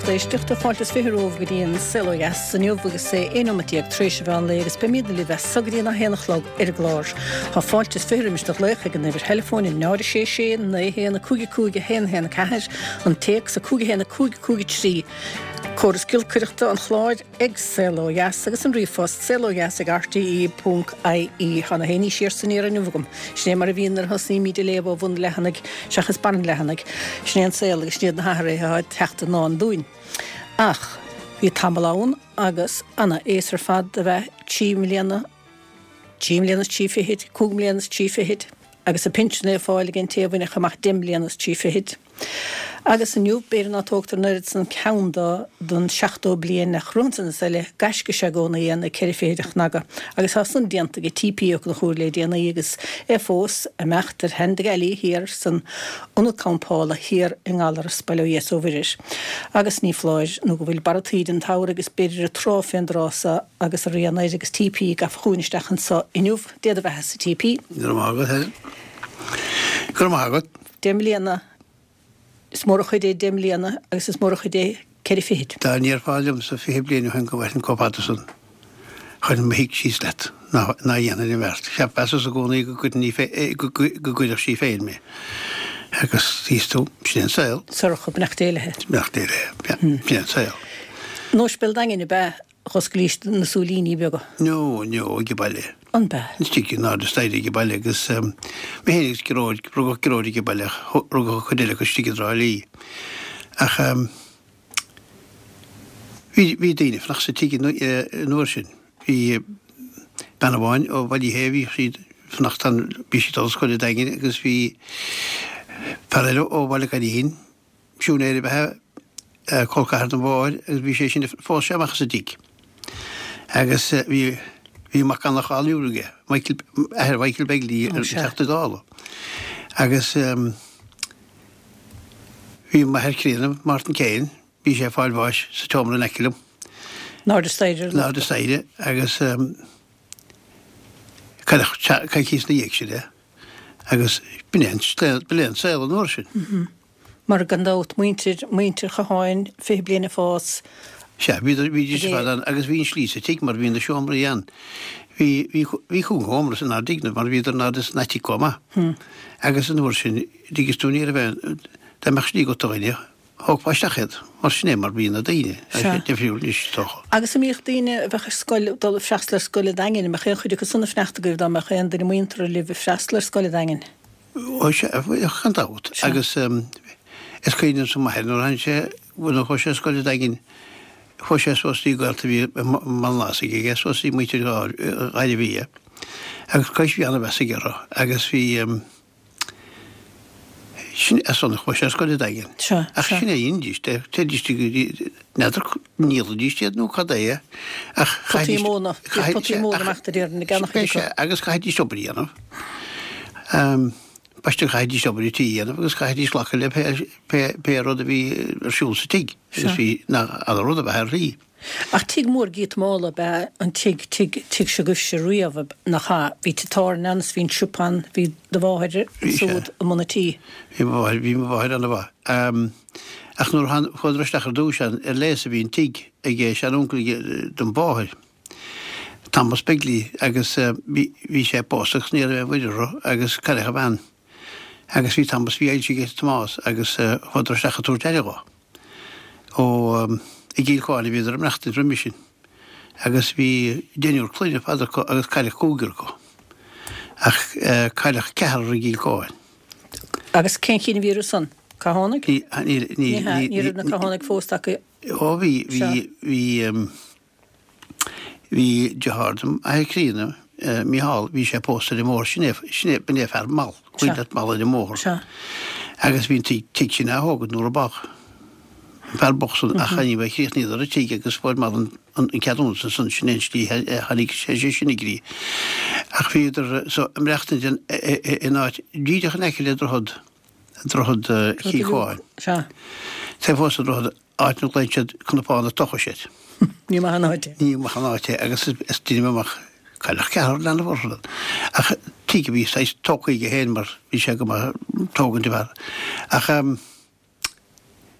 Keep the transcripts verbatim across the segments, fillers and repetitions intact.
lucht éisteachta fáilte is fiche romhaibh go dtí an Saol Ó Dheas inniu agus é aon nóiméad déag tar éis an mheán lae agus beimid libh as so go dtí a haon a chlog ar an gclár. Tá fáilte is fiche roimis do ghlaoch ag an uimhir theileafóin náid a sé sé naoi haon a cúig a cúig a haon haon a ceathair, an téacs a cúig a haon a cúig cúig a trí. Córas giolcaireachta an chláir ag Saol Ó Dheas agus an ríomhphost saolodheas ag rte ponc ie. Tá na héinní siar san iar inniu agam. Sin é mar a bhíonn nuair a thosnaímid ag léamh ó bhun an leathanaigh seachas barr an leathanaigh. Sin é an saol agus sin iad na hathruithe atá ag teacht i ndán dúinn. Ach bhí tamall ann agus ana aos ar fad a bheith trí mbliana, trí mbliana is trí fichid, cúig mbliana is trí fichid, agus a pinsean á fháil ag an té a bhainfeadh amach deich mbliana is trí fichid. Agus inniu, b'fhéidir ná tógtar an oiread san ceann do don seachtó bliain ach romhan san is eile, gaisce is ea i gcónaí é na ceithre fichid a chnagadh. Agus tá san déanta ag T P Ó Conchúir le déanaí agus é fós ag imeacht ar shean na gealaí thiar san ionad campála thiar i nGallaras, bail ó Dhia is ó Mhuire air. Agus ní foláir nó go bhfuil barra taoide an tsamhraidh agus b'fhéidir an trá fén dtráth so agus a rian air agus T P gafa chugainn isteach anso inniu. Dé do bheatha-sa, T P. Go raibh maith agat, Helen. Go raibh maith agat. Deich mbliana, is mór an chuid é deich mbliana agus is mór an chuid é ceithre fichid. Dá ndéarfá liomsa fiche bliain ó shin go bhfaighinn chomh fada san, chuirfinn mo thigh síos leat ná dhéanfainn an bheart. Cheapas i gcónaí go gcuirfinn go gcuirfeadh sí féin mé. Agus thíos tú, sin é an saol. Sorcha, beannacht Dé léi. Beannacht Dé léi, sin é an saol. In Ospidéal an Daingin ab ea dh'osclaís na súilíní beaga? No, no, ag baile. An b'ea? Istigh in airde staighre ag baile agus mé féin agus Gearóid, rugadh Gearóid ag baile, rugadh cuid eile acu istigh i dTrá Lí. Ach bhí bhí daoine ag fanacht sa tigh an uair sin. Bhí bean amháin ó Bhaile Uí Shé, bhí siad fanacht ann, bhí siad dul scoil an Daingin agus bhí fear eile ó Bhaile Coinín, siúinéir ab ea é, col ceathar don mháthair agus bhí sé sin phós sé amach as an dtigh. Agus bhí bhí mac an-cháiliúil aige, Michael, athair Michael Begley an Teachta Dála. Agus bhí m'athair críonna, Martin Kane, bhí sé ag fáil bháis sa tseomra in aice liom. In airde staighre. In airde staighre agus cailleadh coicíos ina dhiaidh sin é. Agus b'in é b'in é an saol an uair sin. Mar gan dabht muintir muintir Chatháin fiche bliain ag fás. Sea, bhí bhídís ar fad ann agus bhí an slí sa tigh mar bhí na seomraí ann. Bhí bhí bhí cúig sheomra san ár dtigh mar bhíodar in airde san attic chomh maith. Agus an uair sin dtuigeann tú ní raibh aon dá mbeadh slí agat do dhuine, thógfá isteach iad, mar sin é mar bhí na daoine. Tá sé difriúil anois is dócha. Agus an mbíodh daoine a bheadh ar scoil dul ag freastal ar scoil an Daingin, an mbeadh aon chuid acu san ag fanacht agaibh dá mbeadh aon duine muinteartha libh ag freastal ar scoil an Daingin? Ó sea, bheadh gan dabht. Agus is cuimhin liomsa m'athair nuair a tháinig sé, nuair a chuaigh sé ar scoil an Daingin, chuaigh sé suas dtí gaolta a bhí i mBaile an Ásaigh aige, suas dtí muintir Ghairbhia. Agus cois bhí an-mheas aige orthu agus bhí sin as san a chuaigh sé ar scoil an Daingin. Sea, Ach sea. sin é a dhéanfaidís, téidís go dtí, n'fheadar ndíolaidís iad nó cad é, ach Potaí chaithfidís, móna, chaithfidís, potaí móna amach de réir na gceannach B'é sea, agus chaithfidís obair a dhéanamh. B'aisteach chaithfidís obair an tí a dhéanamh agus chaithfidís glacadh le pé, pé, pé rud a bhí ar siúl sa tigh. Agus bhí na ana rud a bheith ar shlí. Ach tigh mór giota ab ea an tigh, tigh, tigh s'agaibhse riamh, nach ea? Bhí tigh tábhairne ann is bhí an siopa ann, bhí do mháthair Bhí sé. siúd i mbun an tí. Bhí mo mháthair, bhí mo mháthair an-mhaith. Um, ach nuair a chuadar isteach ar dtús ann, ar léas a bhí an tigh ag seanuncail don mháthair. Thomas Begley agus uh, bhí bhí sé pósta agus ní raibh aon mhuirear orthu agus cailleadh a bhean. Agus bhí Thomas bhí ailse ag Tomás agus uh, chuadar isteach ag tabhairt aire dhó. Ó um, i gCill Choáin a bhíodar ag maireachtaint roimhe sin. Agus bhí deichniúr clainne fad acu agus cailleadh cúigear acu. Ach uh, cailleadh ceathrar i gCill Choáin. Agus cén cinn a bhí orthu san? Cathánaigh? Ní ní ní Ní hea, ní raibh na Cathánaigh fós acu. Ó bhí bhí Sea. bhí um, bhí deartháir dom athair críonna uh, Micheál bhí sé pósta ar an mbóthar sin é sin é b'in é fear mall Sea. chuid mall ar an mbóthar. Sea. Agus bhí an tigh tigh sin á thógaint nuair a bádh. An fear bocht san ach ní bheith chríochnaíodar an tigh agus fuair Mal an an ceadúnas san sin é an slí a tháinig sé sé sin i gcrích. Ach bhíodar so ag maireachtaint in in áit díreach in aice le droichead droichead uh, Chill Choáin. Sea. Tá fós an droichead áit na glaonn siad cnapán na tocha siad. Ní maith an áit é. Ní maith an áit é agus is is duine amach cailleadh ceathrar leanbh orthu. Ach tigh a bhí saghas tógtha aige féin mar bhí sé go maith tógaint de bharr. Ach um,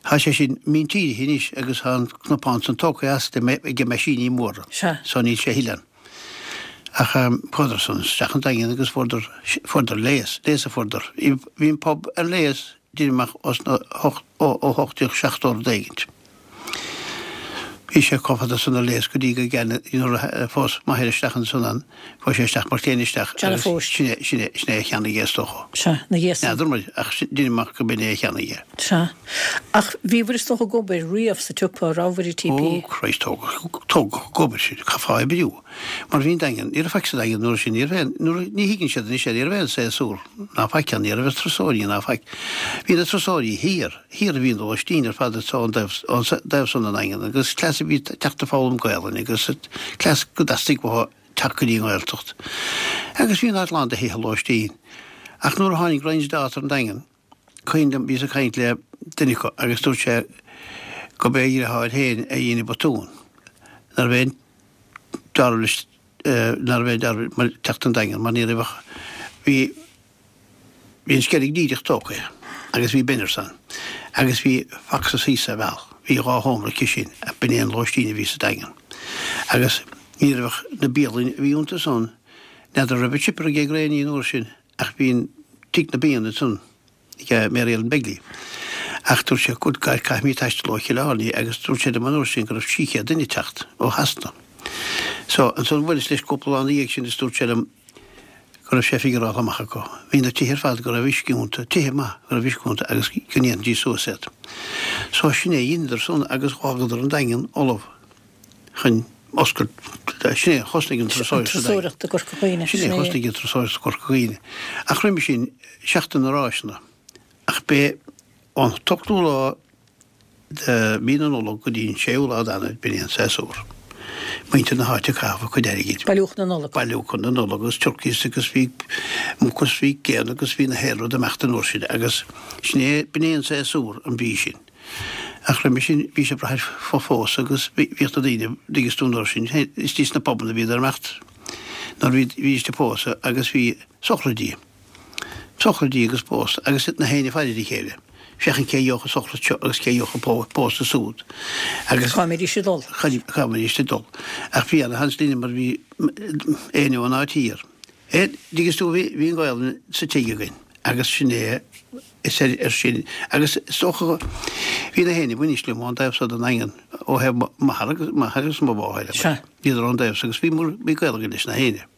Tá sé sin míntírithe anois agus tá an cnapán san tógtha as ag meaisíní móra. Sea. So níl sé a thuilleadh ann. Ach chuadar san isteach an Daingean agus fuaireadar, fuaireadar léas, léas a fuaireadar. Bhí an pub ar léas deirim amach os na hocht, ó, ó hocht déag seachtó rud éigint. Bhí sé chomh fada san ar léas go dtí go gceann, nuair a phós m'athair isteach ansan ann, chuaigh sé isteach mar chéin isteach John a agus phós. sin é, sin é, sin é a cheannaigh é is dócha. Sea, na dhiaidh san. N'fheadar muid, ach deirim amach go b'in é a cheannaigh é. Sea. Ach bhíobhair is dócha ag obair riamh sa tsiopa, rabhabhair i T P? Ó Christ, tógadh, tógadh ag obair sinn, chaithfeá oibriú. Mar bhí an Daingean, ní raibh faic sa Daingean nuair sin, ní raibh aon, nuair a, ní thuigeann siad anois é, ní raibh aon séasúr ná faic ann, ní raibh turasóirí ná faic. Bhí na turasóirí thiar. Thiar a bhí an lóistín ar fad is ón dtaobh san den Daingean agus cleas a bhí teacht ag foghlaim Gaelainne agus cleas go dteastaigh uathu teacht go dtí an Ghaeltacht. Agus bhí an áit lán de thithe lóistín. Ach nuair a tháinig Ryan's Daughter an Daingean, cuimhin liom, bhíos ag caint le duine acu agus dúirt sé go b'é a dheartháir féin a dhein an botún, nárbh aon dealramh leis, nárbh aon dealramh mar teacht an Daingean mar ní raibh ach, bhí, Bhí an Sceilg díreach tógtha agus bhí Benners ann agus bhí Fox's thíos sa bhealach. Bhí dhá sheomra aici sin ach b'in é an lóistín a bhí sa Daingean. Agus ní raibh ach na bialanna a bhí iontu san, n'fheadar raibh an chipper ag Graney an uair sin ach bhí an tigh na bianna ansan ag Mary Ellen Begley. Ach dúirt sé, good God, caithfimid taisteal ó Chill Airne agus dúirt sé liom an uair sin go raibh trí chéad duine ag teacht ó Shasana. So, ansan bhuaileas leis cúpla lá ina dhiaidh sin is dúirt sé liom, go raibh sé figuráilte amach acu. Bhí na tithe ar fad go raibh uisce iontu, tithe maith go raibh uisce iontu agus go ndéanfaidís suas iad. So sin é a dheineadar san agus dh'fhágadar an Daingean ullamh chun oscailt, sin é a thosnaigh an turasóireacht sa Daingean. Turasóireacht i gCorca Dhuibhne, Sin é sin a é. thosnaigh an turasóireacht i gCorca Dhuibhne. Ach roimhe sin, Seachtain na Ráiseanna. Ach b'é an t-ochtú lá de mhí na Nollag go dtí an séú lá d'Eanáir, b'in é an séasúr. Muintir na háite ag caitheamh a cuid airgid. Bailiúchán na Nollag. Bailiúchán na Nollag agus turkeys agus bhí muc agus bhí géanna agus bhí na haon rud ag imeacht an uair sin agus sin é, b'in é an séasúr an mhí sin. Ach roimhe sin bhí sé ag brath ar phósadh agus bhíodh na daoine, dtuigeann tú an uair sin, istigh sna pubanna a bhíodar ag imeacht nuair a bhí, bhídís ag pósadh agus bhí sochraidí. Sochraidí agus pósadh agus na héinne ag faire ar a chéile, féachaint cé a gheobhadh an sochraid seo agus cé a gheobhadh an pósadh súd. Agus Cá mbeidís ag dul? Cá mbeidís ag dul. Ach bhí ana-sheans linne mar bhí éinne ón áit thiar. Dtuigeann tú, bhí an Ghaelainn sa tigh againn agus sin é is ar ar sin agus is dócha go bhí na héinne bainis liom ón dtaobh seo den Daingean ó thaobh m'athar agus m'athar agus mo mháthair. Sea. Bhíodar ón dtaobh seo agus bhí bhí gaol againn leis na héinne.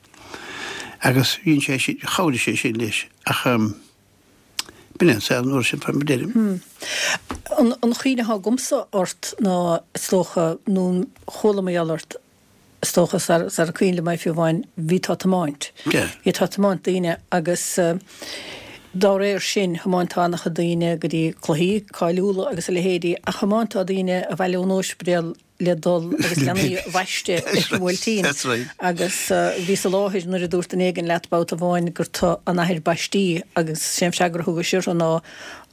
Agus bhíonn sé sin, chabhraigh sé sin leis ach b'in é an saol an uair sin, fá mar a deirim. An an chuimhne atá agamsa ort ná is dócha, nó chuala mé ort, is dócha, sar sar cuimhin liom é fiú amháin, bhí tú ag tiomáint. Yeah. Bhí tú ag tiomáint daoine agus dá réir sin, thiomáintá an-chuid daoine go dtí cluichí cáiliúla agus a leithéidí ach thiomáintá daoine abhaile ón ospidéal le dul agus leanaí a bhaisteadh ar an mBuailtín. That's right. Agus bhíos i láthair nuair a dúirt duine éigin leat babhta amháin gur tu an athair baistí agus sé an freagra a thugais orthu ná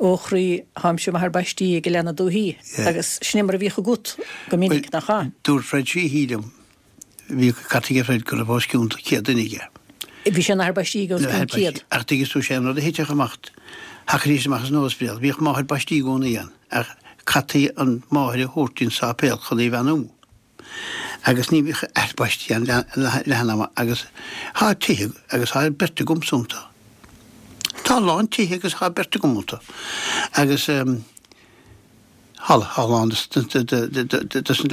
Ó chroí, táimse m'athair baistí ag leanaí dúthaí. Yeah. Agus sin é mar a bhíodh agat go minic, nach ea? Dúirt Fred Sheehy liom, bhí cairt aige Fred go raibh os cionn céad duine aige. Bhí sé ina athair baistí ag os cionn céad. Ach tuigeann tú, sé an rud a thitfeadh amach, thiocfaidís amach as an ospidéal, bhíodh máthair baistí i gcónaí ann, ach chaithfí an mháthair a thabhairt don sáipéal chun í a bheannú. Agus ní bhíodh athair baistí ann leath an ama agus thá tithe agus thá beirt agamsa iontu. Tá a lán tithe agus thá beirt agam iontu. Agus thá a lán de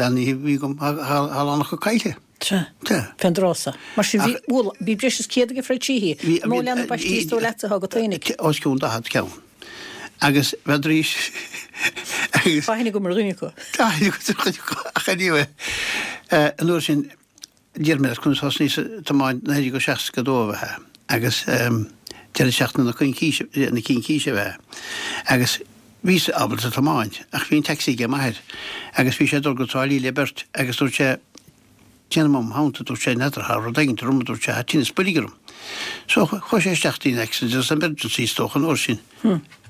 na leanaí a bhí agam, thá a lán acu caillte. Sea. Sea. Fén dtráth so. Mar sin bhí, bhuel, bhí breis is céad aige Fred Sheehy. Bhí, Mó leanbh baistí is dóigh leatsa atá agat fhéinig? Os cionn daichead ceann. Agus bheadh agus. Tá aithne agam ar dhuine acu. Tá aithne agat ar dhuine acu, ach anyway, an uair sin, d'iarr mé air conas thosnaíos ag tiomáint naoi déag seasca dó ab ea agus deireadh seachtaine na coicíse, na cincíse ab ea agus bhíos ábalta tiomáint ach bhí an taxi ag m'athair agus bhí sé ag dul go Trá Lí le beirt agus dúirt sé, Déanam am theannta, dúirt sé, n'fheadar, thá rud éigint orm, a dúirt sé, thá tinneas boilg orm. So chuaigh sé isteach dtí an accident agus emergency is dócha an uair sin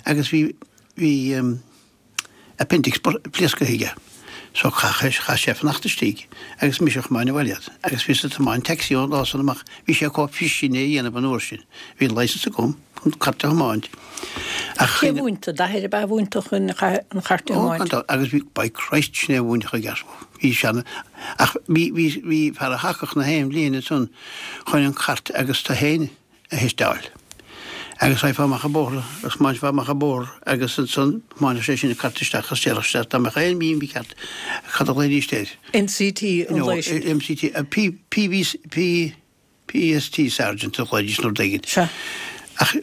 agus bhí, bhí appendix pléasctha aige. So chaith, chaith sé fanacht istigh agus mise a chomáin abhaile iad. Agus bhíos ag tiomáint taxi ón lá san amach, bhí sé chomh fuirist sin é a dhéanamh an uair sin. Bhí an licence agam chun cairt a thiomáint Ach Cé mhúin tú? D'athair ab ea a mhúin tú chun an chairt a Ó, thiomáint? gan dabht, agus bhí, by Christ, sin é a mhúin i gceart. Bhí seana, ach bhí, bhí, bhí fear a thacach na haon bhliain ansan chun an chairt agus tú féin a theisteáil. Agus raghfá amach an bóthar, agus thiomáinfeá amach an bóthar agus ansan thiomáinfeadh sé sin an cairt isteach agus déarfadh sé dá mbeadh aon mhí ceart, cad a ghlaoidís air? MCT an No, lae sin. MCT, P, P, V, P, PST Sergeant a ghlaoidís nó rud éigin. Sea. Ach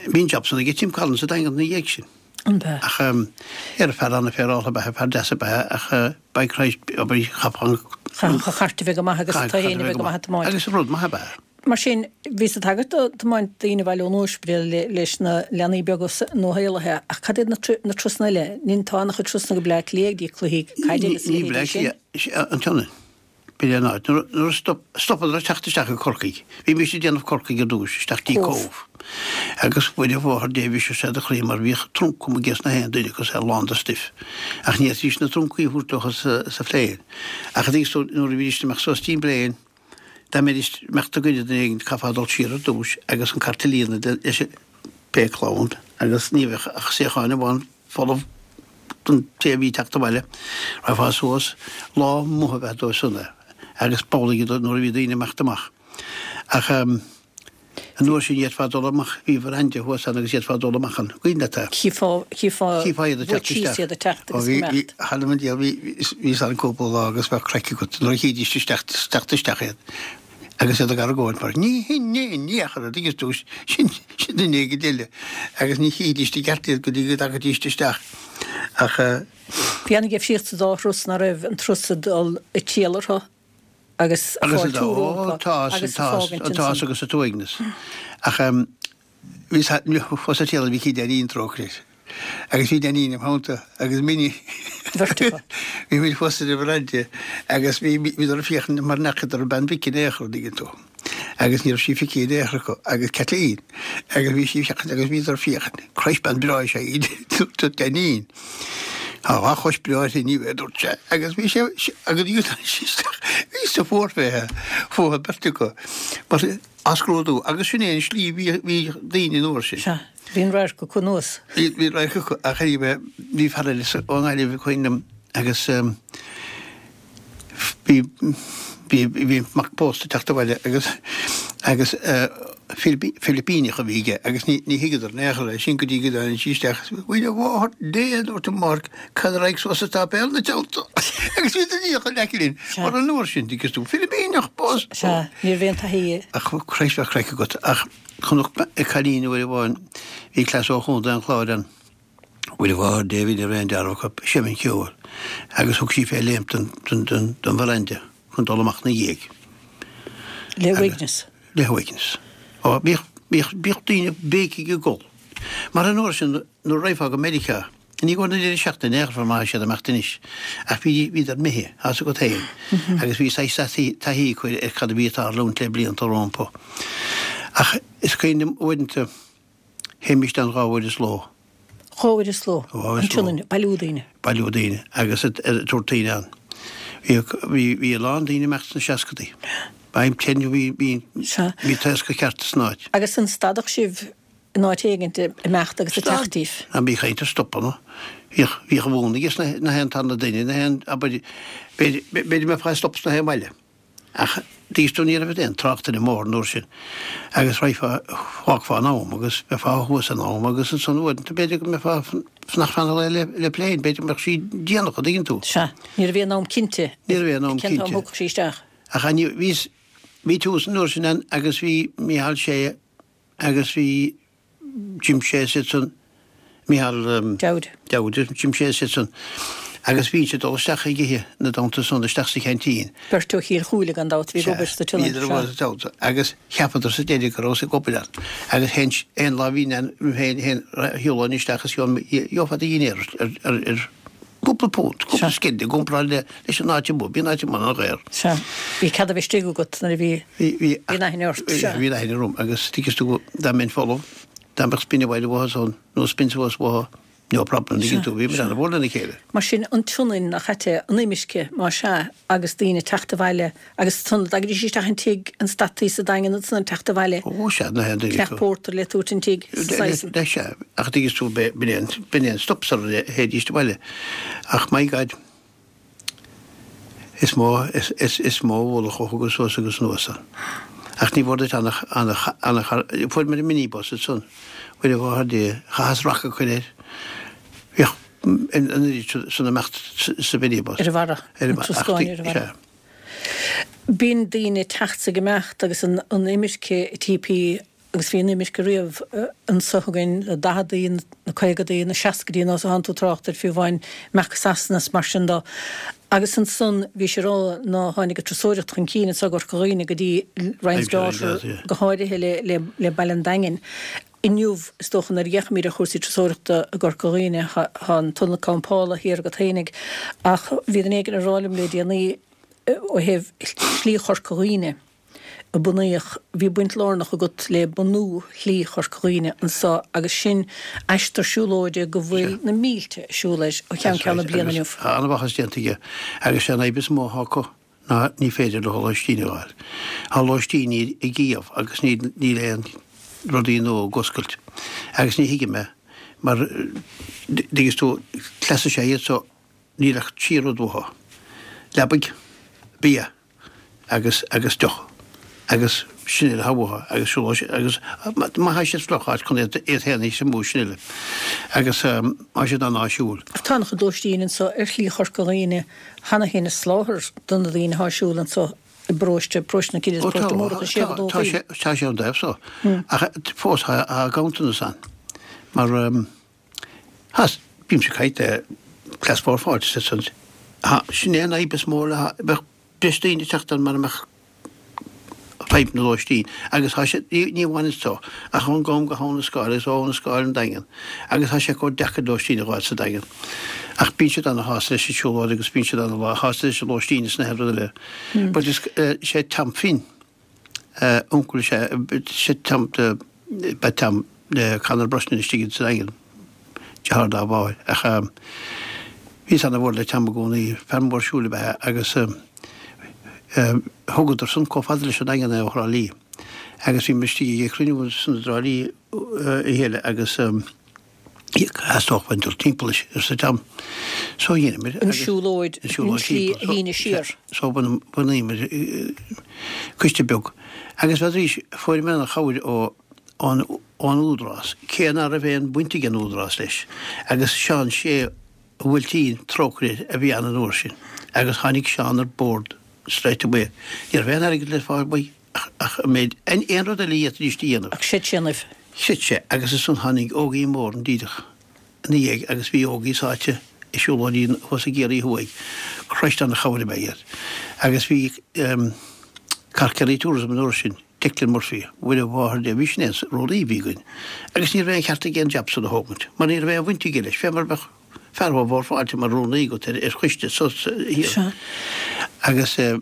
bhí an job san ag Tim Collins sa Daingean ina dhiaidh sin. An b'ea? Ach ar fear an-fhéaráilte ab ea, fear deas ab ea, ach by Christ, obair chaithfeá Chaithfeadh an chairt a bheith go maith agus tú féin a bheith go maith ag tiomáint. Agus rud maith ab ea. Mar sin, bhís ag tagairt do tiomáint daoine abhaile ón ospidéal leis na leanaí beaga nuashaolaithe, ach cad iad na turasanna eile? Ní tá an-chuid turasanna go Bleá Cliath ag dtí cluichí caide agus a Ní Bleá leithéidí sin. Cliath, an tSionainn. B'in é an áit. Nuair a stop, stopadar ag teacht isteach i Corcaigh. Bhí mise ag déanamh Corcaigh ar dtús, isteach dtí Cóbh. Cóbh. Agus Mhuire Mháthair Dé bhí sé de chroí mar bhíodh trunc amuigh ag na haon duine agus é lán de stuif. Ach ní fhéadfaidís na truncaí a thabhairt leo sa, sa phlane. Ach a dtuigeann tú, nuair a bhídís amach suas dtí an bplane, dá mbeidís imeacht i gcoinne duine éigin, chaithfeá dul siar ar dtús agus an cairt a líonadh leis an pé clann agus ní bheadh ach suíochán amháin folamh don té a bhí ag teacht abhaile. Raghfá suas lá maith a bheith dóibh san é agus b'amhlaidh nuair a bhí daoine imeacht amach. Ach an uair sin d'fhéadfá dul amach, bhí veranda thuas ann agus d'fhéadfá dul amach an cuimhin leat é? Chífeá, chífeá, Chífeá iad ag teacht isteach. iad ag teacht Ó, agus bhí, go bhí, mbeacht. th'anam 'on diabhal, bhí, bhí san cúpla lá agus bheadh craic agat nuair a chídís isteach, teacht isteach iad. Agus iad ag argóint mar ní hin ní ní ach a dtuigeann tú sin sin duine éigin eile agus ní chídís i gceart iad go dtí go dtagaidís isteach. Ach eh, Bhí an-difríocht sa dá thuras ná raibh an turas ag dul ag triall orthu agus agus fáiltiú ó, rompu tá agus tá fágaint tá ansan. agus a t-uaigneas. Ach um, bhí fós a téala bhí cí Dainín trócaire. Agus bhí Dainín im theannta agus Minnie. Bheirt acu. Bhí muid fós ar an veranda agus bhí bhíodar ag féachaint mar n'fheacadar an bean mhic in aon chor an dtuigeann tú. Agus ní raibh sí feicthe in aon chor acu agus Kathleen agus bhí sí féachaint agus bhíodar ag féachaint. Christ bean breá is ea í dúirt Dainín. Tá dhá chos breá uirthi ní bheith dúirt sé agus bhí sé agus bhí bhí sa fuar fé fúthu beirt acu. Mar á scrúdú agus sin é an slí bhí bhí daoine an uair sin. Sea, bhí an radharc acu anuas. Bhí bhí radharc acu ach bhí bhí fear eile sa- ón nGaillimh cuimhin liom agus um, bhí bhí bhí mac pósta ag teacht abhaile agus agus uh, Filipíneach a bhí aige agus ní ní thuigeadar in aon chor é sin go dtí go dtáinig sí isteach. Mhuire Mháthair Dé dúirt an Mark cad a raibh suas sa sáipéal ina teannta. Agus bhí duine a leiclinn Sea. mar an uair sin dtuigeann tú Filipíneach bós. Sea, ní raibh aon taithí Ach Christ bheadh craic agat ach chonac ag cailín uair amháin bhí cleas ó Chontae an Chláir ann. Mhuire Mháthair Dé bhí aon dearbh acu seimn ceoil agus thug sí fé léim den den den den veranda chun dul amach na dhiaidh. le huaigneas. Le huaigneas. Ó bhíodh bhíodh bhíodh daoine béicigh ag gol. Mar an uair sin nuair a raghfá go Meiriceá, ní go na deireadh seachtaine in aon chor mar siad amach anois ach bhí bhíodar imithe as agat féin agus bhí saghas taithí acu ar cad a bhí ag tarlúint le blianta rompu. Ach is cuimhin liom uaireanta théimis ann dhá uair is ló. Dhá uair is ló. Dhá uair is An tSionainn, bailiú daoine. bailiú daoine agus tabhairt daoine ann. Bhí bhí bhí a lán daoine imeacht sna seascadaí. I'm telling you bhí bhí Sea. bhí taoscadh ceart san áit. Agus an stadadh sibh in áit éigin ag imeacht agus ag teacht díobh. An bí chaint stopanna. Bhíodh bhíodh a bhúna na na haon tarna duine na haon abair b'fhéidir mé fá stop sna haon bhaile. Ach dís tú ní raibh aon trácht ar an mbóthar an uair sin. Agus raghfá fágfá in am agus bheifeá thuas in am agus ansan uaireanta b'fhéidir go mbeifeá fanacht fan le le plane b'fhéidir go mbeadh sí déanach an dtuigeann tú. Sea, ní raibh aon am cinnte. Ní raibh aon am Cén t-am cinnte. thugfadh sí isteach. Ach an bhí bhí tús an uair sin ann agus bhí Micheál Sé agus bhí Jim Sé san Micheál um, Dowd. Dowd Jim Sé san agus bhí sé dul isteach ag ithe na donnta san isteach sa cheaintín. Beirt ó Chill Chúile gan dabht bhí obair sa tSionainn. Bhíodar ag agus cheapadar sa deireadh go raibh ag obair ann. Agus hen aon lá bhí an féin hen shiúlán isteach is gheofá do dhinnéar ar ar ar cúpla punt, cúpla scide, gcomparáid le leis an áit amuigh, bhí an áit amuigh an-dhaor. Sea, bhí cead a bheith istigh agat nuair a bhí Bhí bhí Bhí an aithne ort, sea. Bhí an aithne orm agus tuigeann tú dá mbeinn folamh, dá mbeadh spin abhaile uathu san nó spin suas uathu, No problem, dtuigeann tú, bhí muid ana-mhór lena chéile. Mar sin, an tSionainn nach ait é, an imirce, más ea, agus daoine ag teacht abhaile agus ansan dtagaidís isteach an tigh, an stataí sa Daingean ansan ag teacht abhaile. Ó, sea, na haon duine acu. Cneach pórtair le tabhairt an tigh, saghas. Le, sea, ach dtuigeann tú, b'in é an, b'in é an stop sara théidís abhaile. Ach my God, is mó, is, is, is mó ualach a thugadh suas agus anuas ann. Ach ní mhór duit ana, ana, ana, fuair muid an minibus ansan. Mhuire Mháthair Dé, chaitheas raca a chur air. Bhíodh an oiread san imeacht sa mhinibus. Ar a bharra. Ar a An bharra. troscán ar a bharra. Sea. Bíonn daoine ag teacht 's ag imeacht agus an an imirce T P agus bhí an imirce riamh anso againn, na daicheadaí, na caogadaí, na seascaidí, nó thánn tú trácht air fiú amháin, imeacht go Sasana is mar sin dó. Agus ansan bhí sé rá ná tháinig an turasóireacht chun cinn anso i gCorca Dhuibhne go dtí Ryan's Daughter go háirithe le le le Baile an Daingin. Inniu, is dócha nuair a fhéachaimid ar chúrsaí turasóireachta i gCorca Dhuibhne, tá an t-ionad campála thiar agat fhéinig, ach bhí duine éigin ag rá liom le déanaí ó thaobh Shlí Chorca Dhuibhne a bunaíodh, bhí baint lárnach agat le bunú Shlí Chorca Dhuibhne anso agus sin aistear siúlóide go bhfuil na mílte ag siúl air ó cheann ceann na bliana inniu. Tá an-mhaitheas déanta aige agus sé an fhadhb is mó atá acu ná ní féidir leo lóistín a fháil. Tá lóistíní ag iamh agus níl aon rudaí nua ag oscailt. Agus ní thuigim é, mar dtuigeann tú, cleas is ea iad so níl ach trí rud uathu, leabaidh, bia agus agus deoch. Agus sin uile atá uathu agus siúlóidh agus má tá siad fliuch áit chun iad iad féin a thiomú sin uile. Agus tá siad an-áisiúil. Tá an-chuid lóistín anso ar Shlí Chorca Dhuibhne cheana féin ag soláthar do na daoine atá ag siúl anso i bparóiste, paróiste na Cille is Ó tá, paróiste Múrach is sé go tá, tá dóchaí. sé, tá sé an dtaobh so. Ach fós tá, tá ganntanas ann. Mar has, bímse ag caint le cleas mhór fáilte sa san. Ha, sin é an fhadhb is mó le bheadh breis daoine ag teacht ann mara mbeadh fadhb na lóistín. Agus tá sé, ní, ní amháin anso, ach ón gCam go hAbha na Scáil agus ó Abha na Scáil an Daingean. Agus tá sé chomh deacair lóistín a fháil sa Daingean. Ach bíonn siad ana-shásta leis an siúlóid agus bíonn siad ana-shásta leis an lóistín is na haon rud eile. But is, eh, sé Tom Finn, eh, uncail sé, sé Tom, eh, ba Tom, eh, Conor Brosnan istigh sa Daingean, deartháir dá mháthair. Ach, eh, bhíos ana-mhór le Tom i gcónaí, fear mór siúil ab ea agus, eh, eh, thugadar san chomh fada leis an Daingean é ó Thrá Lí. Agus bhí muid istigh ag cruinniú san i dTrá Lí, eh, a chéile agus, eh, theastódh uainn dul timpeall leis, arsa Tom. So dheineamar An agus- siúlóid, an siúlóid an tslí timpeall. So- a shíneadh siar. So bhun- bhunaíomar, eh, coiste beag. Agus bheadh fuaireamar an-chabhair ó ón ón Údarás, cé nach raibh aon bhaint ag an Údarás leis. Agus Seán Sé Bhuailtín trócaire a bhí ann an uair sin. Agus tháinig Seán ar bord straight away. Ní raibh aon airgead le fáil uaidh ach, ach an méid aon aon rud eile a d'fhéadfaidís a dhéanamh. Ach chreid sé ionaibh. Chreid sé, agus ansan tháinig Ógie Mór díreach ina dhiaidh agus bhí Ógie sáite i siúlóidí thuas i gCiarraí Thuaidh. Christ an-chabhair ab ea iad. Agus bhí um, Carkerry Tourism an uair sin, Declan Murphy, Mhuire Mháthair Dé, bhí sin é rúnaí a bhí againn. Agus ní raibh aon cheart aige an jab san a thógaint, mar ní raibh aon bhaint aige leis, fé mar bheadh fear ó Bhord Fáilte mar rúnaí agat ar, ar choiste so thiar. Sea. Agus eh,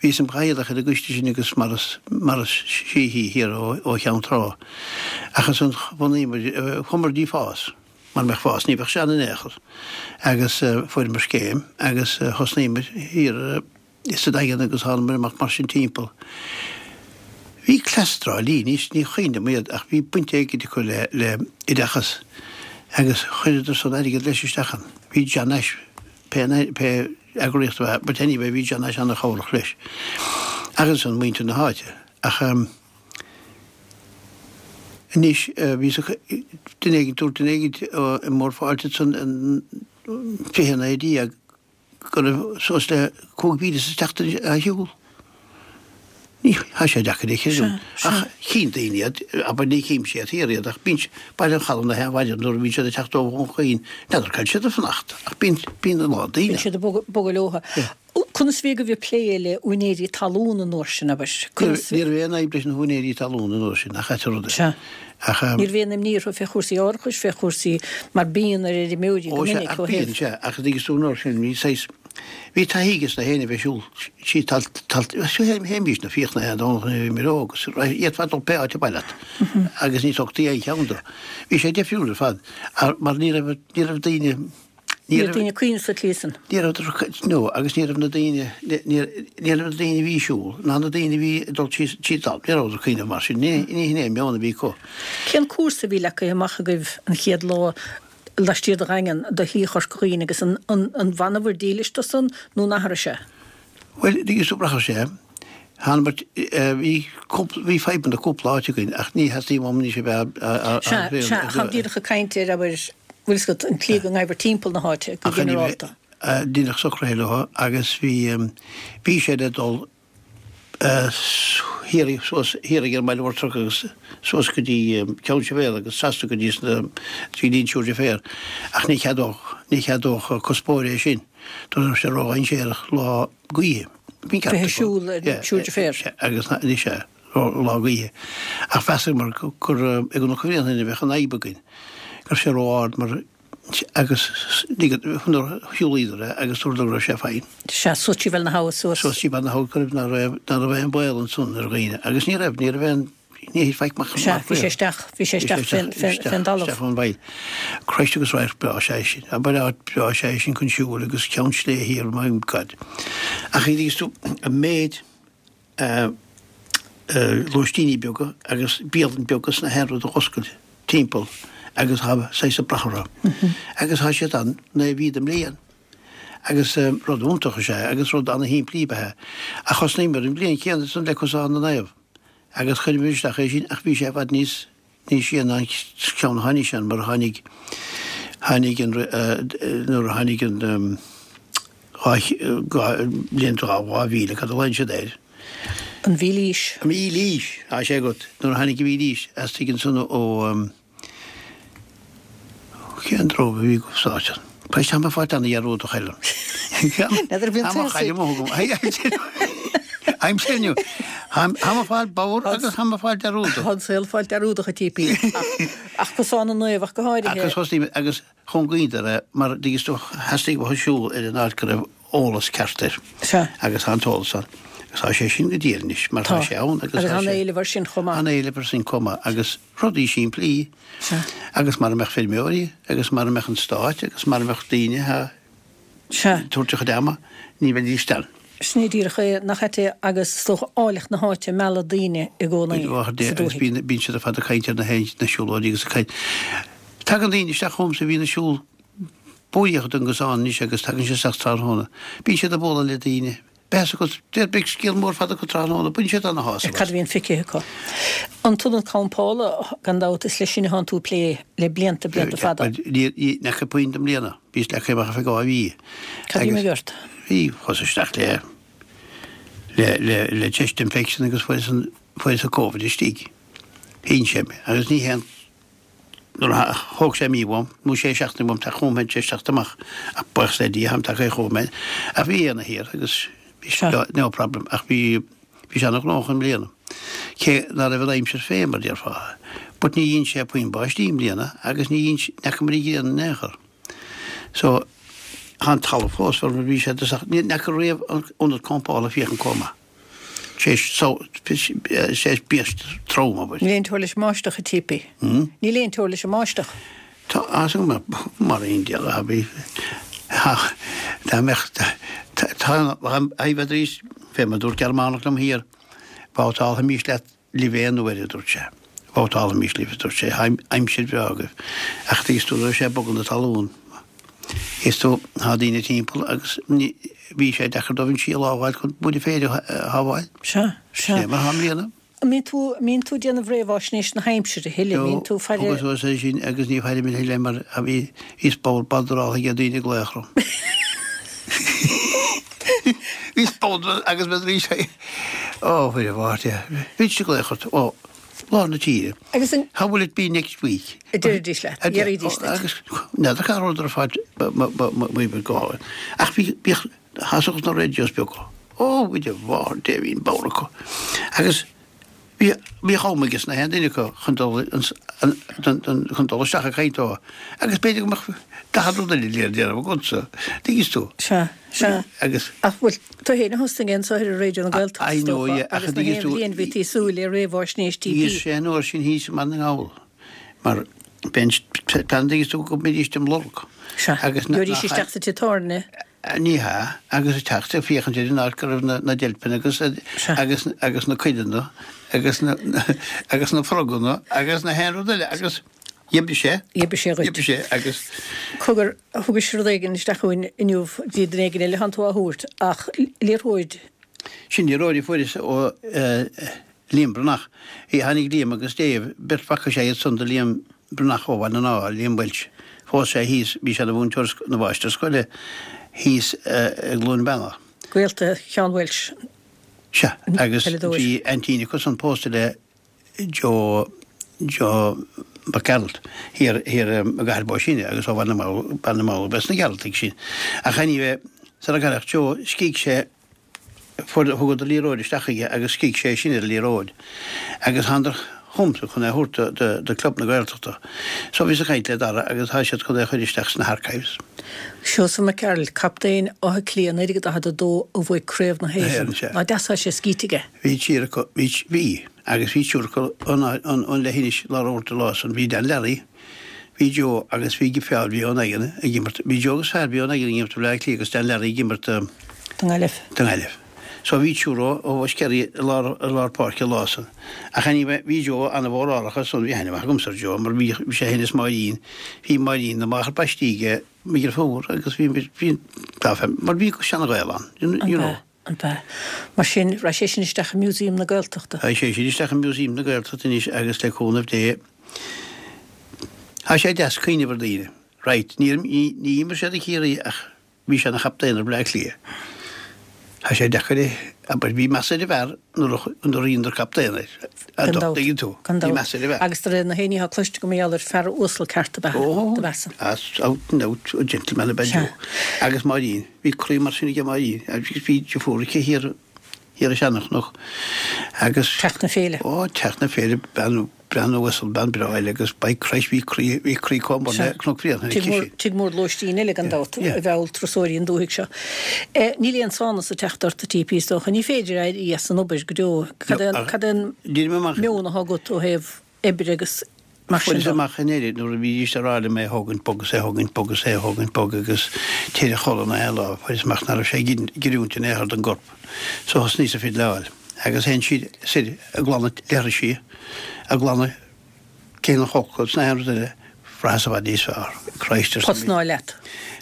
bhíos im chathaoirleach ar an gcoiste sin agus Maurice Maurice Sheehy thiar ó, ó Cheann Trá. Ach ansan bhunaíomar, eh, chuamar dtí Fás, mar mbeadh Fás, ní bheadh sé ann in aon chor. Agus eh, fuaireamar scéim agus eh, thosnaíomar thiar eh, sa Daingean agus thánamar amach mar sin timpeall. Bhí cleas Trá Lí, ní, ní chuimhin liom iad, ach bhí baint éigin acu le, le oideachas agus chuireadar san airgead leis isteach ann. Bhí John Nash, pé, pé eagraíocht a bheith, but anyway, bhí John Nash an-chabhrach leis. Agus an muintir na háite. Ach um, anois uh, bhí sa duine éigin dúirt duine éigin i mBord Fáilte san an fiche naoi déag go raibh suas le cúig mhíle sa tseachtain a shiúl. Ní tá sé deacair é Sea, sea. Ach chíonn daoine iad, abair ní chím siad thiar iad, ach bíonn Baile an Chalaidh na haon nuair a bhíonn siad ag teacht ó Dhún Chaoin, n'fheadar cá bhfuil siad ag fanacht, ach bíonn bíonn a lán daoine. Bíonn siad ag bogadh bogadh leotha. Conas bhí go bhí plé le úinéirí talún an uair sin abair? Conas Ní raibh aon fhadhb leis na húinéirí talún an uair sin, ach ait rud é. Sea. Ach um, Ní raibh aon imní orthu fé chúrsaí árachais, fé chúrsaí mar bíonn ar fheirmeoirí go Ó, sea, minic ach ó bíonn thaobh. sé, ach dtuigeann tú an uair sin, bhí saghas Bhí taithí ages na héinne a bheith ag siúl sí talt talt théimís na fiach na haon Domhnach nuair a bhí mé óg agus d'fhéadfá dul pé áit a ba mhaith leat agus ní thugtaí aon cheann dó. Bhí sé difriúil ar fad mar ní raibh ní raibh daoine Ní raibh daoine ag cuimhneamh sa tslí san. Ní raibh no agus ní raibh na daoine ní raibh na daoine a bhí ag siúl ná na daoine a bhí ag dul síos tríd an ní rabhadar ag cuimhneamh mar sin. Ní ní hin é an meon a bhí acu. Cén cúrsa a bhí leagtha amach agaibh an chéad lá laistiar de Dhaingean do Shlí Chorca Dhuibhne agus an an an bhfanabhair dílis do san nó an athraigh sé? Bhuel, dtuigeann tú rachaidh sé. Thánamar, bhí cúpla, bhí fadhbanna cúpla áit againn ach ní theastaíonn uaim anois a bheith á Sea, sea, táim díreach ag caint ar, abair, bhfuil 'fhios agat, an tslí go ngabhair timpeall na háite go ginearálta. Deineadh socruithe leo agus bhí, bhí sé le dul thiar suas thiar ag an mBaile Mhór Truc agus suas go dtí Ceann Sibéal agus trasna go dtí sna trí dtí an Siúr de Féar ach ní cheadódh ní cheadódh cuspóir é sin dúirt raibh sé ródhainséarach lá gaoithe. Bhí ceart Bheith ag siúl ar an Siúr de Féar. Agus anois é lá gaoithe. Ach mheasamar gur i gCnoc an Bhréanainn a bheadh an fhadhb againn go raibh sé ró-ard mar Agus nuair a shiúlaíodar é agus dúradar go raibh sé fine. Sea, suas trí Bhéal na hAbha suas. Suas trí Bhéal na hAbha go raibh, ná raibh, ná raibh aon baol ansan ar dhaoine. Agus ní raibh, ní raibh aon, ní thit faic amach Sea, bhí sé isteach, bhí sé isteach fén, fén, fén dtalamh. Isteach ón bhfaill. Christ agus radharc breá is ea é sin. Abair áit breá is ea é sin chun siúil agus Ceann Sléibhe thiar, my God. Ach thuigeann tú, an méid, lóistíní beaga agus bialann beaga is na haon rud a dh'oscail timpeall agus tá saghas ag brath orthu. Agus tá siad ann naoi mhí den mbliain. Agus rud iontach is ea é agus rud ana-shimplí ab ea é. Ach thosnaíomar an bhliain chéanna san le Cosán na Naomh agus chuireamar isteach é sin ach bhí sé i bhfad níos níos sia ná an ceann a tháinig ann mar a tháinig tháinig an nuair a tháinig an dhá dhá bliain dhá mhíle cad a ghlaonn siad air? An mhílaois. An mhílaois! Tá sé agat. Nuair a tháinig an mhílaois, theastaigh ansan ó cén drób a bhí go sáite. Tá mé ag fáil ana-dhearúdach Helen. N'fheadar bhí an Tá mo tusa. chaillim ó thugam. I'm telling you. Tá mé ag fáil bodhar agus tá mé ag fáil dearúdach. Tá an saol ag fáil dearúdach a TP. Ach Cosán na Naomh ach go háirithe. Agus thosnaigh agus chúngaíodar é mar dtuigeann tú theastaigh uathu siúl ar an áit go raibh eolas ceart air. Sea. Agus tá an t-eolas ann. Agus tá sé sin go diail anois mar tá Tá. sé ann agus Agus tá tá sé an-éileamh air sin chomh maith. An-éileamh air sin chomh maith agus rudaí simplí. Sea. Agus mara mbeadh feirmeoirí agus mara mbeadh an stát agus mara mbeadh daoine a Sea. tabhairt a chuid ama ní bheidís ann. Sin é díreach é, nach ait é agus is dócha áilleacht na háite ag mealladh daoine i gcónaí sa Agus dúthaigh. bíonn bíonn siad ar fad ag caint ar na na siúlóidí agus ag caint. Tagann daoine isteach chugamsa a bhíonn ag siúl buíoch den gcosán anois agus tagann siad isteach tráthnóna. Bíonn siad ag bualadh le daoine. Beidh a fhios agat, deir beidh scéal mór fada acu tráthnóna, baineann siad ana-shásamh Cad as. a bhíonn feicthe acu? An t-ionad campála, gan dabht, is leis sin atánn tú ag plé le blianta, blianta fada. Ní fhaca puinn i mbliana. Bhíos leagtha amach ar feadh dhá mhí. Cad a Agus d'imigh ort? bhí, chuas isteach le, le, le, le chest infection agus fuaireas an, fuaireas an Covid istigh. Shín sé mé agus ní haon Nuair a thóg sé mí uaim, nó sé seachtaine uaim teacht chugam féin tar éis teacht amach, ach buíochas le Dia, táim tagtha chugam féin. Ach bhí Éanna thiar agus bhí Sea. no problem, ach bhí, bhí sé ana-ghnóthach i mbliana. Cé ná raibh an aimsir fé mar déarfá. But ní dhein sé puinn báistí i mbliana agus ní dhein, ní fhacamar an ghrian in aon chor. So, tá an talamh fós mar bhí sé i dtosach, ní fhaca riamh an ionad campála féachaint chomh maith. Sé biaist trom, abair. Níl aon teora leis an mbáisteach, a TP. Níl aon teora leis an mbáisteach. Tá fhios agam mar aon diabhal a bhí. Dá mbeadh, tá, bheadh arís, fé mar a dúirt Gearmánach liom thiar, babhtálfaimis leat libh aon uair, a dúirt sé. Babhtálfaimis libh, a dúirt sé, aimsir bhreá agaibh. Ach tuigeann tú, raibh sé ag bogadh na talún. Is tú, tá daoine timpeall agus ní, bhí sé deacair dóibh an síol a fháil chun buaine féir a shábháil. Sea, sea. Sin é mar atá i mbliana. An mbíonn tú, an mbíonn tú ag déanamh réamháisnéis na haimsire a thuilleadh? An mbíonn tú ag faire. Thugas suas é sin agus ní fairim a thuilleadh mar a bhí, bhíos bodhar badraltha ag daoine ag glaoch orm. Bhíos bodhar agus bheadh arís é. Ó, fuair a mháthair é. Bhí siad ag glaoch ort ó lár na tíre. Agus an. How will it be next week? A deiridís leat, a deiridís duit. Agus n'fheadar cá rabhadar ar fad m'oibir go hálainn. Ach bhí, bhíodh, thosódh na radios beaga. Ó, bhí de bharr Dé, bhí an bodhar acu. Agus Bhí bhí am aige na haon duine acu chun dul chun dul isteach ag caint dó. Agus b'fhéidir go mbeadh daichead rud eile le déanamh agatsa. Tuigeann tú? Sea, sea. Agus. Ach bhuel, tú féin a thosnaigh anseo ar Raidió na Gaeltachta, I is know, dócha, yeah, ach agus na tuigeann haon tú, bhliain bhí tú ag súil le réamhaisnéis Bhí TP. sé an uair sin thíos i mBaile na nGall, mar b'é an plean tuigeann tú go mbeidís dem lorg. Sea, Agus na, gheobhaidís isteach sa tigh tábhairne. Ní hea, agus ag teacht ag féachaint ar an áit go raibh na, na deilpeanna agus, agus, agus na cuileanna agus na, agus na froganna agus na haon rud eile agus dh'oibrigh sé. Dh'oibrigh sé dhuit. Dh'oibrigh sé agus. Cogar, thugais rud éigin isteach chugainn inniu, bhí duine éigin eile thánn tú á thabhairt, ach liathróid. Sin liathróid a fuaireas ó Liam Breathnach. Tháinig Liam agus Dave, beirt mhac is ea iad san do Liam Breathnach ó Bhaile na nGall, Liam Walsh. Phós sé thíos, bhí sé ina mhúinteoir, ina mháistir scoile thíos i gCluain Bheanna. Gaolta Sheán Walsh. Sea, agus bhí aintín acu san pósta le Joe, Joe Mac Gearailt thiar, thiar i gCathair Bó Sine agus ó Bhaile na nGall, Baile na nGall ab ea na Gearaltaigh sin. Ach anyway, sara gcailleadh Joe, scígh sé, Fuair, thugadar liathróid isteach chuige agus scígh sé sin ar an liathróid agus thánadar chugamsa chun é a thabhairt do, do Club na Gaeltachta. So bhíos ag caint le Dara agus tá siad chun é a chur isteach sna harchives. Seosamh Mac Gearailt, captaen Átha Cliath naoi déag daichead a dó a bhuaigh Craobh na Na hÉireann. hÉireann, sea. Ná deas tá sé scíte aige. Bhí triúr acu, bhí, bhí, agus bhí triúr acu ón, ón, ón leithinis lá rabhadh an lá san. Bhí Dan Leary, bhí Joe agus bhí fear a bhí ón Daingean ag imirt, bhí Joe agus fear a bhí ón Daingean ag imirt do Bhleá Cliath agus Dan Leary ag imirt do, Don nGaillimh. Don nGaillimh. So bhí triúr ó ó Mhuskerry i lár i lár páirce an lá san. Ach anyway bhí Joe an-mhórálach ar son, bhí aithne mhaith agamsa ar Joe mar bhí bhí sé féin is Máirín, bhí Máirín ina máthair baistí aige, mo dheirfiúr agus bhí bhí dá fem mar bhí seana-ghaol ann, you An know. b'ea, an b'ea. Mar sin, raghaidh sé sin isteach i Museum na Gaeltachta. Raghaidh sé sin isteach i Museum na Gaeltachta anois agus le cúnamh Dé tá sé deas cuimhneamh ar daoine. Right, níor ní ní imir sé do Chiarraí ach Bhí sé ina chaptaen ar Bhleá Cliath. Tá sé deacair é, abair, bhí meas ar an bhfear nuair a nuair a dheineadar captaen air. Gan dabht. Dtuigeann tú? Gan Bhí dabht. meas ar an bhfear. Agus de réir na héinne atá cloiste agam mar gheall air, fear uasal ceart ab ea Ó, do mheasa. as out and out a gentleman ab ea Sea. Joe. Agus Máirín, bhí croí mar sin aige Máirín, agus bhí deirfiúr aici thiar, thiar i Seanchnoc. Agus. Teach na Féile. Ó, Teach na Féile, bean Bean uasal, bean breá eile agus by Christ bhí croí, bhí croí chomh mór le Cnoc Bhréanainn aici sin. Tigh mór lóistín eile gan dabht a mheall turasóirí an dúthaigh seo. Níl aon sánas ag teacht ort a TP is dócha. Ní féidir éirí as an obair go deo. Cad é cad é an meon atá agat ó thaobh oibre agus mar sin Fuaireas de? amach i nDoire nuair a bhídís ag rá liom é a thógaint bog is é a thógaint bog is é a thógaint bog agus téir a chodladh na haon lá, fuaireas amach nach raibh sé ag oiriúint in aon chor don gcorp. So thosnaíos ag fidleáil. Agus théann siad soir ag glanadh leithrisí, ag glanadh cé na folcadh is na haon rud eile, bhraitheas i bhfad níos fearr. Christ, arsa mise. Tosnáil leat.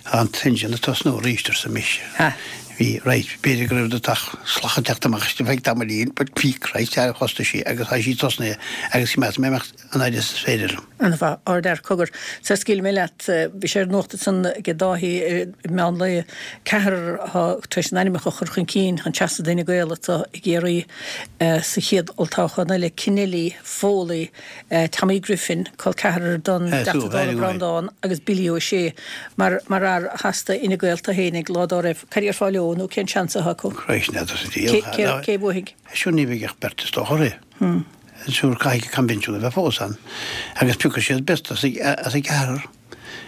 Tá an t-engine ag tosnú arís, arsa mise. Ha. Bhí, right, b'fhéidir go raibh do tach slach ag teacht amach istigh feadh tamaillín, but bhí, Christ, ar thosnaigh sí agus tá sí tosnaithe agus meas mé amach an fhaid is is féidir liom. An-mhaith, ardfhear, cogar. Sara scaoilfidh mé leat, bhí sé ar an nuacht ansan ag Dáithí i meán lae, ceathrar atá tar éis a n-ainmneacha a chur chun cinn chun seasamh d'Fhine Gael atá ag iarraidh sa chéad olltoghchán eile, Keneally, Foley, Tommy Griffin, col ceathrar don dTeachta Dála Breandán, agus Billy O'Shea, mar mar fhear a sheas d'Fhine Gael tá fhéinig lá dá raibh. Cad a déarfá leo nó cén seans atá acu? Christ, n'fheadar sa diabhal. Cé cé bhuafaidh? Sure ní bheidh ach beirt is dócha orthu. Sure caithfidh coinbhinsiún a bheith fós ann agus piocfaidh siad beirt as as an gceathrar.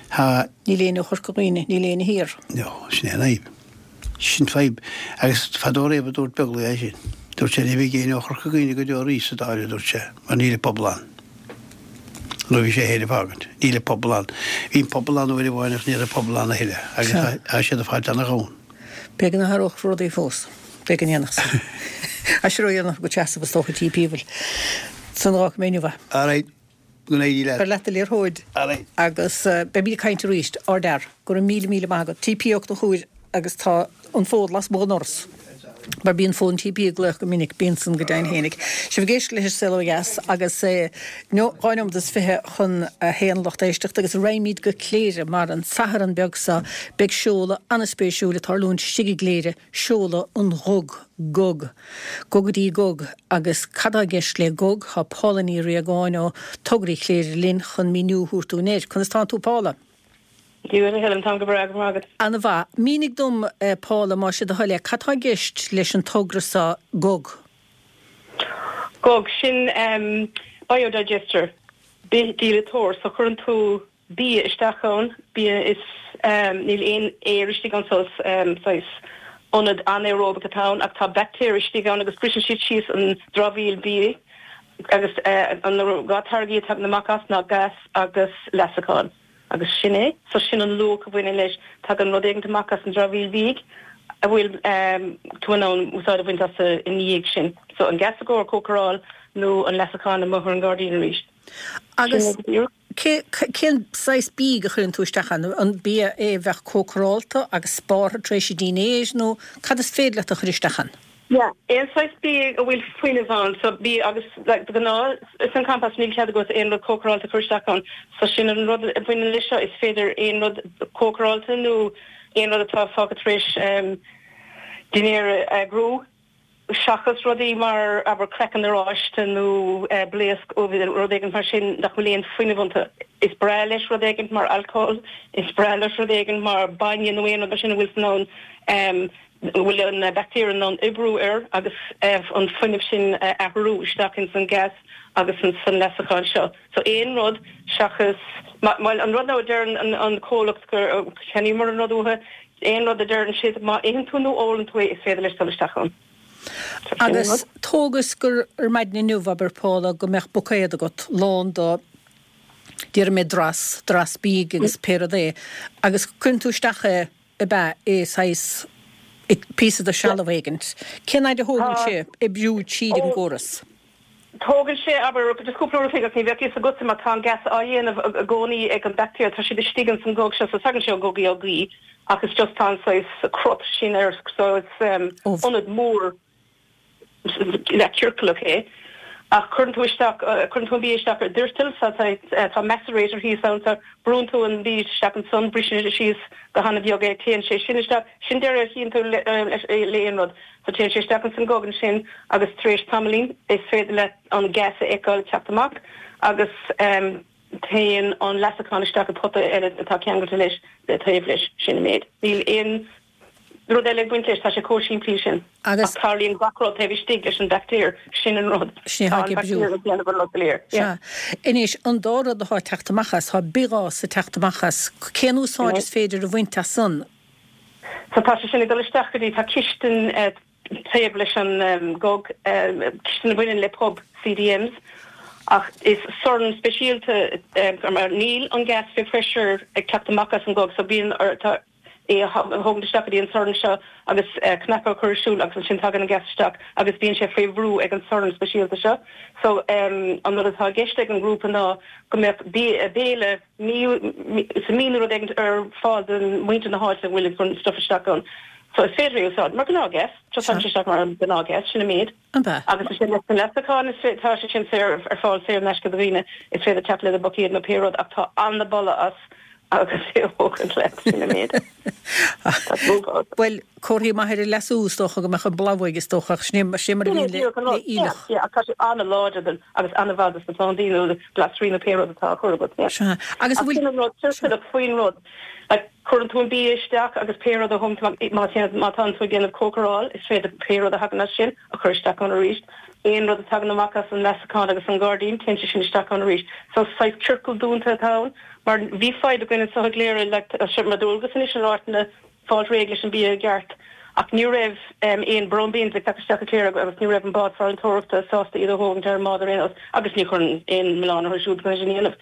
Tá. Níl éinne ó Chorca Dhuibhne, níl éinne thiar. No, sin é an fhadhb. Sin fadhb. Agus fadó riamh a dúirt Beaglaoich é sin. Dúirt sé ní bheidh éinne ó Chorca Dhuibhne go deo arís sa Dáil, a dúirt sé, mar níl an pobal ann. Nuair a bhí sé féin ag fágaint. Níl an pobal ann. Bhí an pobal ann uair amháin ach níl an pobal ann a thuilleadh agus tá siad ag fáilt ana-dhomhan. B'fhéidir go n-athródh rudaí fós. B'fhéidir go ndéanfadh san. Tá sé ródhéanach agat seasamh is dócha TP bhuel. San d'fhágfaidh mé inniu é. All right. Go n-éirí leat. Cuir leat do liathróid. All right. Agus beimid ag caint arís. Ardfhear. Go raibh míle míle maith agat. TP Ó Conchúir agus tá an fón lasmuigh den ndoras. Mar bíonn fón TP ag glaoch go minic, bíonn san go deimhin fhéinig. Sibh ag éisteacht leis an Saol Ó Dheas agus é dhá nóiméad is fiche chun a haon lucht éisteachta agus raghaimid go Cléire mar an Satharn beag seo beidh seoladh an-spéisiúil ag tarlúint istigh i gCléire, seoladh an Ghug, Gug. Gugadaí Gug agus cad tá i gceist le Gug? Tá Paula Ní Riagáin ó Tograí Chléire linn chun míniú a thabhairt dúinn air. Conas tánn tú Paula? Dia duit a Helen, táim go breá, go raibh maith agat. An-mhaith. Mínigh dom, Paula, más é do thoil é, cad tá i gceist leis an togra seo, Gug? Gog sin um, biodigester bith-díleatóir so chuireann tú bia isteach ann bia is um, níl aon aer istigh ann so um, saghas ionad anaeróbach atá ann ach tá baictéir istigh ann agus briseann siad síos an dramhaíl bia agus uh, an dhá táirgí a thagann amach as ná gas agus leasachán agus sin é so sin an luach a bhaineann leis tagann rud éigin amach as an dramhaíl bia a bhfuil um, tú in ann úsáid a bhaint as i ndiaidh sin so an gas i gcomhair cócaráil nó an leasachán amuigh ar an gairdín arís. Agus cén saghas bia a chuireann tú isteach ann an bia é bheith cócarálta agus spártha tar éis dinnéir nó cad is féidir leat a chur isteach ann? Yeah, aon saghas bia a bhfuil fuinneamh ann so bia agus like, gná is an compost níl cead agat aon rud cócarálta chur isteach ann so sin an rud a bhaineann leis seo is féidir aon rud cócarálta nó aon rud atá fágtha tar éis um, dinnéar a eagrú seachas rudaí mar abair craiceann oráiste nó uh, blaosc rud éigin mar sin nach bhfuil aon fuinneamh iontu. Is breá leis rud éigin mar alcohol, is breá leis rud éigin mar bainne nó aon rud sin a bhfuil in ann um, bhfuil an baictéir in ann oibriú air agus uh, an fuinneamh sin uh, athrú isteach in san gas agus an san leasachán seo. So aon rud seachas well an rud ná deir an, an comhlacht gur cheannaíomar an rud uathu, aon rud a deireann siad má itheann tú nó ólann tú é is féidir leis dul isteach ann. Agus tógas gur ar maidin inniu abair Paula go mbeadh buicéad agat lán do déarfaidh mé dras, dras bídh agus pé rud é, agus cuireann tú isteach é i be é saghas píosa de shealbh éigint. Cén fhad a thógann sé oibriú tríd an gcóras? Tógann sé abair just cúpla uair agus ní bheadh fhios agat má tá an gas á dhéanamh i gcónaí ag an baictéir tá siad istigh in san gog seo so tagann sé ó gogaí ó gaoth agus just tá an saghas crot sin air so it's um, ionad mór le ciorclach é. Ach chuireann tú isteach chuireann tú an bia isteach ar doirteal sa tá macerator thíos ann so brúnn tú an bia isteach ansan briseann sé síos go han-bheag é téann sé sin isteach sin deireadh a chíonn tú le le aon rud so téann sé isteach an san gog ansin agus tar éis tamaillín is féidir le an gas a fheiceáil teacht amach agus um, téann an leasachán isteach i pota eile atá ceangailte leis le taobh leis sin an méid. Níl aon rud eile ag baint leis tá sé chomh simplí sin. Agus tarlaíonn gach rud taobh istigh leis an baictéir sin an rud. Sin atá ag oibriú. Sea. Anois an dá rud atá ag teacht amach as, tá bithghás ag teacht amach as, cén úsáid is féidir a bhaint as san? So tá sé sin ag dul isteach go dtí tá cistin eh, taobh leis an um, gog um, cistin a bhaineann le pub CDMs ach is sorn speisialta um, mar níl an gas fé pressure ag teacht amach as an gog so bíonn tá é a thógaint isteach go dtí an sorn seo agus uh, cnaipe a chur ar siúl agus ansin tagann an gas isteach agus bíonn sé faoi bhrú ag an sorn speisialta seo. So um, an rud atá i gceist ag an grúpa ná go mbeadh béile sa mí rud éigin ar fáil don muintir na háite bhfuil an stuff isteach ann. So is féidir é úsáid mar gnáthghas, just tá sé isteach mar gnáthghas sin an méid. Agus sin leis an leasachán is tá sé sin saor ar fáil saor in aisce do dhaoine is féidir teacht le do buicéad nó pé rud ach tá an-bholadh as agus é thógaint leat sin an méid. Well comhartha maith ar an leasú is dócha go mbeadh an boladh uaidh is dócha sin sin mar a bhíonn le le aoileach. Tá sé an-láidir agus an-mhaith dos na plandaí nó glasraí nó pé rud atá á chur agat. Sea. Agus Ach bhfuil sin an rud ciorclach faoin rud. Like, cuireann tú an bia isteach agus pé rud a thum má má tá tú ag déanamh cócaráil is féidir pé rud a thagann as sin a chur isteach ann arís. Aon rud a thagann amach as an leasachán agus an gairdín téann sé sin isteach ann arís. So saghas ciorcal dúnta atá ann, mar bhí fadhb againn anseo i gCléire le mar dualgas anois an áiteanna fáil réidh leis an bia i gceart. Ach ní raibh um, aon brown bins ag teacht isteach go Cléire agus ní raibh an bád farantóireachta sásta iad a thógaint ar an mbád ar aon nós agus ní chuireann aon milleán orthu siúd chun é sin a dhéanamh.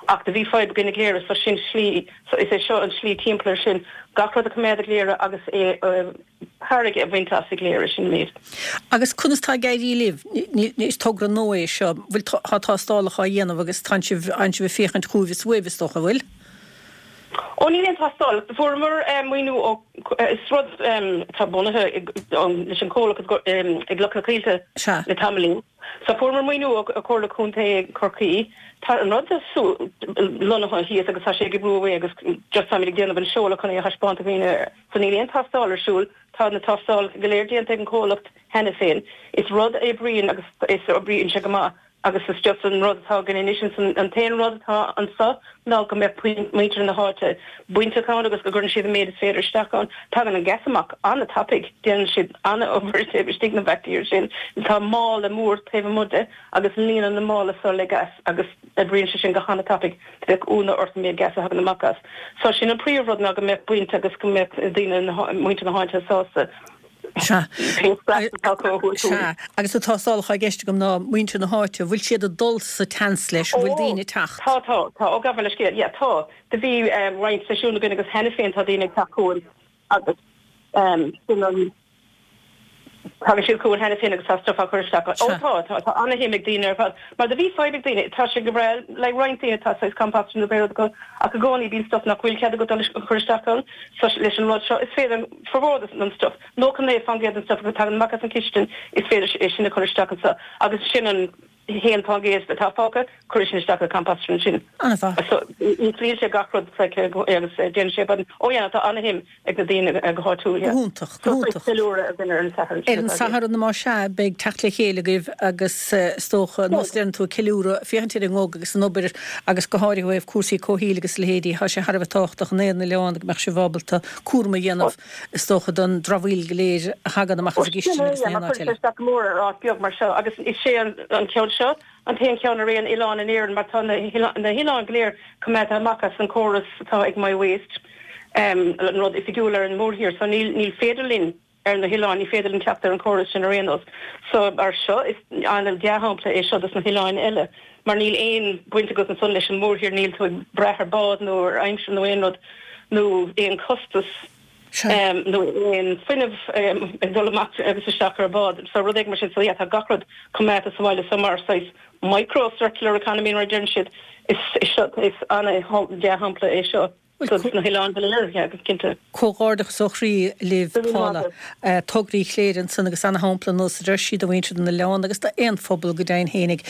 Ach do bhí fadhb againn i gCléire so sin slí so is é seo an slí timpeall air sin gach rud a choimeád i gCléire agus é uh, tairbhe a bhaint as i gCléire sin méid. Agus conas tá ag éirí libh is togra nua é seo bhfuil tá tástálacha á dhéanamh agus tá sibh an sibh ag féachaint chugaibh is uaibh is dócha bhfuil? Ó níl aon tástáil fuaireamar maoiniú ó is rud atá bunaithe leis an comhlacht i gCloch na Coillte le tamaillín. So fuaireamar maoiniú ó Chomhairle Contae Chorcaí Tá an rud lonnaithe thíos agus tá sé ag oibriú agus just táimid ag déanamh an seoladh chun é a thaispeáint do dhaoine. So níl aon tástáil ar siúl, tá na tástáil go léir déanta ag an comhlacht cheana féin. Is rud a oibríonn agus is oibríonn sé go maith Agus is just an rud atá againn anois ansan, an t-aon rud atá anso ná go mbeadh muintir na háite bainteach ann agus go gcuireann siad an méid is féidir isteach ann. Tagann an gas amach an-tapaidh, déanann siad an-obair taobh istigh na baictéir sin. Tá mála mór taobh amuigh de agus líonann na mála so le gas agus oibríonn sé sin go han-tapaidh. Bheadh ionadh ort an méid gas a thagann amach as. So sin an príomhrud ná go mbeadh baint agus go mbeadh daoine, muintir na háite sásta. Sea. Sea. Agus na tástálacha i gceist agam ná muintir na háite, bhfuil siad ag dul sa tseans leis, an bhfuil daoine ag teacht? Tá, tá, tá. Ó, gabh mo leithscéal, yeah, tá. Do bhí roinnt seisiún againn agus cheana féin tá daoine ag teacht chugainn agus sin an, tagann siad chugainn cheana féin agus tá stuff á chur isteach. Ó tá, tá, tá ana-shuim ag daoine ar fad. Mar do bhí fadhb ag daoine, tá sé go breá le roinnt daoine tá saghas compost nó pé rud acu ach i gcónaí bíonn stuff nach bhfuil cead agat dul a chur isteach ann. So leis an rud seo is féidir formhór den stuff, nócha naoi faoin gcéad den stuff a thagann amach as an chistin, is féidir é sin a chur isteach anso agus sin an haon faoin gcéad atá fágtha, cuir sin isteach i composter ansin. An-mhaith. So íslíonn sé gach rud like agus déanann sé but oh yeah tá ana-shuim ag na daoine go háitiúil yeah. Go hiontach, go hiontach. So ceiliúradh againn ar an Satharn. Ar an Satharn más ea beidh teacht le chéile agaibh agus is dócha nós a deireann tú ceiliúradh, féachaint ar an nGOG agus an obair agus go háirithe ó thaobh cúrsaí comhshaoil agus a leithéidí, tá sé thar a bheith tábhachtach in aon oileán go mbeadh sibh ábalta cúram a dhéanamh is dócha don dramhaíl go léir a thagann amach as an gcistin agus in aon áit eile. Chuir sé isteach go mór ar áit beag mar seo agus is é an ceann seo an t-aon cheann ar aon oileán in Éirinn mar tá na hoileáin go léir coimeádta amach as an córas atá ag My Waste, an rud oifigiúil ar an mórthír so níl féidir linn ar na hoileáin, ní féidir linn teacht ar an chóras sin ar aon nós. So mar seo, is an-dea-shampla é seo dos na hoileáin eile, mar níl aon bhaint agat ansan leis an mórthír, níl tú ag brath ar bád nó ar aimsir nó aon rud, nó aon chostas nó aon fuinneamh ag dul amach agus isteach ar bád. So rud éigin mar sin. So yeah, tá gach rud coimeádta sa bhaile so mar saghas micro circular economy mar a deireann siad, is is an-dea-shampla é seo. Dos na hoileáin go léir, yeah, go cinnte. Comhghairdeachas ó chroí libh, Paula. Tograí Chléire ansan agus ana-shampla nós a deir sí do mhuintir na n-oileán agus d'aon phobal go deimhin fhéinig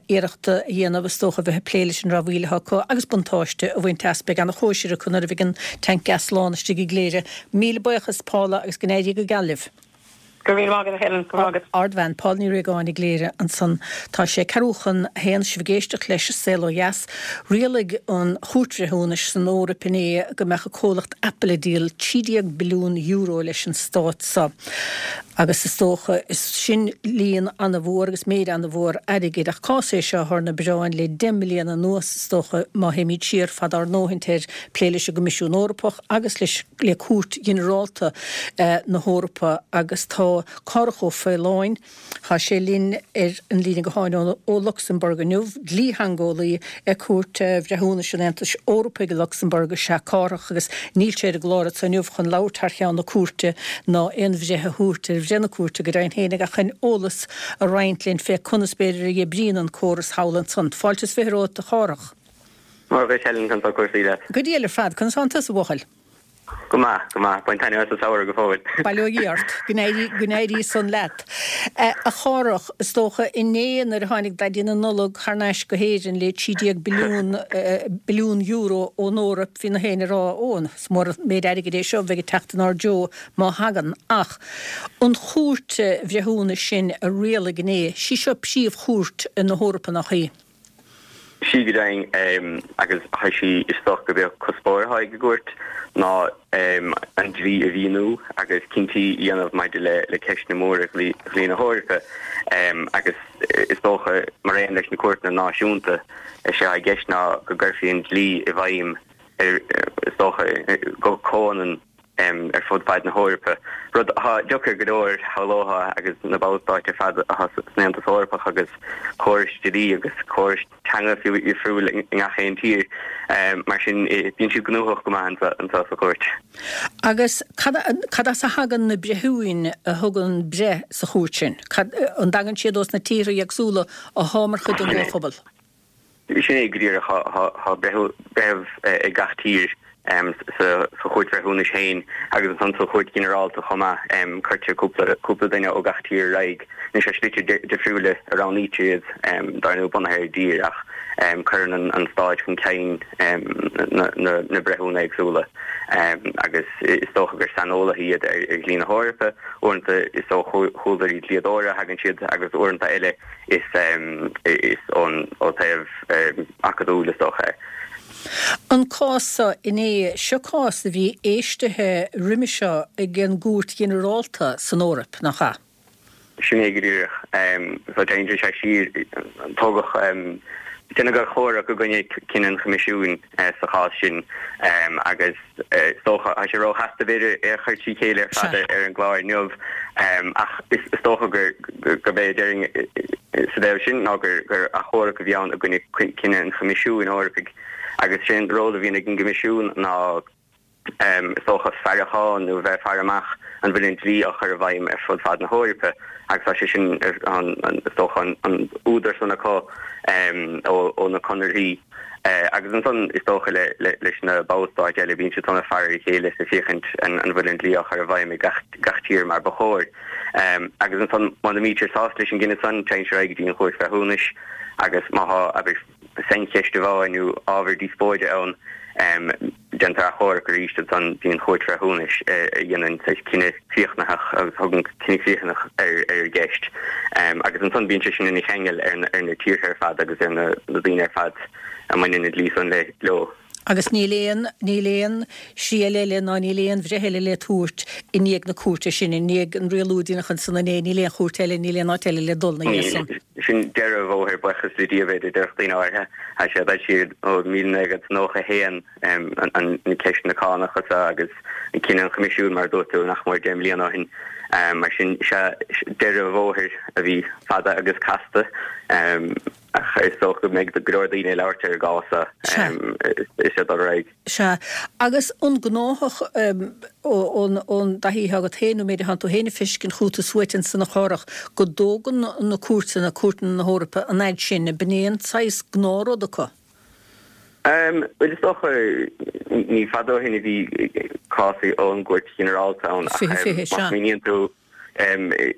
iarracht a dhéanamh is dócha a bheith ag plé leis an dramhaíl atá acu agus buntáiste a bhaint as. Beidh ana-chóisir acu nuair a bheidh an tanc gas lán istigh i gCléire. Míle buíochas, Paula, agus go n-éirí go geal libh. Go raibh míle maith agat, a Helen. Go raibh maith agat. Ardbhean, Paula Ní Riagáin i gCléire ansan. Tá sé ceathrú chun a haon, sibh ag éisteacht leis Saol Ó Dheas. Rialaigh an Chúirt Bhreithiúnais san Eoraip inné go mbeadh an comhlacht Apple ag díol trí déag billiún euro leis an stát seo. Agus is dócha, is sin líon ana-mhór agus méid ana-mhór airgid. Ach cás é seo atá ar na bioráin le deich mbliana anuas, is dócha, má théimid siar fad ár ndóthaint air, plé leis an gCoimisiún Eorpach agus leis le Cúirt Ghinearálta na hEorpa agus tá Cárthach Ó Faoláin, tá sé linn ar an líne gutháin ó Lucsamburg inniu, dlítheangeolaí ag Cúirt Bhreithiúnais an Aontais Eorpaigh i Lucsamburg is ea Cárthach agus níl sé ar an gclár anseo inniu chun labhairt thar cheann na cúirte ná aon bhreith a thabhairt ar bhreith na cúirte go deimhin féinig ach chun eolas a roinnt linn fé conas b'fhéidir a oibríonn an córas thall ansan. Fáilte is fiche romhat a Chárthach. Mora dhuit Helen, conas tá cúrsaí leat? Go diail ar fad, conas tánn tusa a bhuachaill? Go maith, go maith. Bain taitneamh as an samhradh go fóill. Bail ó Dhia ort. Go n-éirí, go n-éirí san leat. A Chárthach, is dócha inné nuair a tháinig Daidí na Nollag thar n-ais go hÉirinn le trí déag billiún, billiún euro ón Eoraip, bhí na héinne ag rá, ó, is mór an méid airgid é seo a bheidh ag teacht inár dtreo má thagann. Ach an Chúirt Bhreithiúnais sin a rialaigh inné, sí seo príomhchúirt na hEorpa, nach í? Sea go deimhin, agus tá sí is dócha gurb é an cuspóir atá ag an gcúirt ná an dlí a mhíniú agus cinntí a dhéanamh maidir le ceisteanna móra dhlí na hEorpa agus is dócha mar aon leis na cúirteanna náisiúnta is é atá i gceist ná go gcuirfí an dlí i bhfeidhm ar is dócha go comhionann ar fud fad na hEorpa, rud atá deacair go leor, shamhlófá, agus na ballstáit ar fad atá san Aontas Eorpach agus córais dlí agus córais teanga fiú difriúil i ngach aon tír. Mar sin, bíonn siad gnóthach go maith anseo sa chúirt. Agus cad as a thagann na breithiúin a thugann breith sa chúirt sin? An dtagann siad ós na tíortha éagsúla atá mar chuid den gComhphobal? Sin é go díreach. Tá breitheamh ag gach tír sa Chúirt Bhreithiúnais féin agus ansan sa Chúirt Ghinearálta chomh maith. Cuirtear cúpla duine ó gach tír ar aghaidh. Anois ar shlite difriúla a roghnaítear iad, dar ndóigh, bunaithe ar an dtír ach Cuireann an Stáit chun cinn na breithiúna éagsúla agus is dócha gur saineolaithe iad ar dhlí na hEorpa, uaireanta is ó chúlraí dlíodóra a thagann siad agus uaireanta eile is is ón ó taobh acadúil is dócha é. An cás seo inné, seo cás a bhí éistithe roimhe seo ag an gCúirt Ghinearálta san Eoraip, nach ea? Sin é go díreach. So téann sé siar, tógadh, déanadh achomharc i gcoinne cinneadh an Choimisiúin sa chás sin agus is dócha, tá sé róchasta b'fhéidir é a chur trí chéile ar fad ar an gclár inniu ach is dócha gurb é a déarfainn sa dtaobh sin ná gur achomharc a bhí ann i gcoinne cinneadh an Choimisiúin Eorpaigh agus sé an ról a bhíonn ag an gCoimisiún ná is dócha, faireachán nó bheith ag faire amach an bhfuil an dlí á chur i bhfeidhm ar fud fad na hEorpa agus tá sé sin, is dócha, an údar san acu ó na conarthaí. Agus ansan, is dócha, leis na ballstáit eile, bíonn siad san ag faire ar a chéile is ag féachaint an bhfuil an dlí á chur i bhfeidhm ag gach tír mar ba chóir. Agus ansan, muna mbítear sásta leis an gcinneadh san, téann sé ar aghaidh go dtí an Chúirt Bhreithiúnais agus má tá, abair, saincheist amháin nó ábhar díospóide ann, Déantar achomharc arís ansan go dtí an Chúirt Bhreithiúnais a dhéanann saghas cinneadh críochnaitheach agus a thugann cinneadh críochnaitheach ar an gceist. Agus ansan bíonn sé sin ina cheangal ar na tíortha ar fad agus ar na daoine ar fad a mbaineann an dlí san leo. Agus níl aon, níl aon triail eile ná níl aon bhreith eile le tabhairt i ndiaidh na cúirte sin, i ndiaidh an rialú a deineadh ansan inné, níl aon chúirt eile, níl aon áit eile le dul ina dhiaidh san. Sin deireadh an bhóthair, buíochas le Dia, b'fhéidir, déarfadh daoine áirithe. Tá sé ag dul siar ó míle naoi gcéad is nócha a haon, an ceisteanna cánach seo agus an cinneadh an Choimisiúin, mar a dúirt tú, nach mór deich mbliana ó shin. Mar sin, sea, deireadh an bhóthair a bhí fada agus casta, ach is dócha go mbeidh go leor daoine ag labhairt ar an gcás seo is é ag dul ar aghaidh. Sea. Agus an gnáthach ón dtaithí atá agat féin, nó an méid atánn tú féin ag feiscint chugat is uait ansan a Chárthach, go dtógann na cúirteanna, cúirteanna na hEorpa, an fhaid sin, ab in é an saghas gnáthrud acu? Bhuel, is dócha, ní fada ó shin a bhí cás ón gCúirt Ghinearálta ann ach Fiche, fiche, má sea. smaoiníonn tú,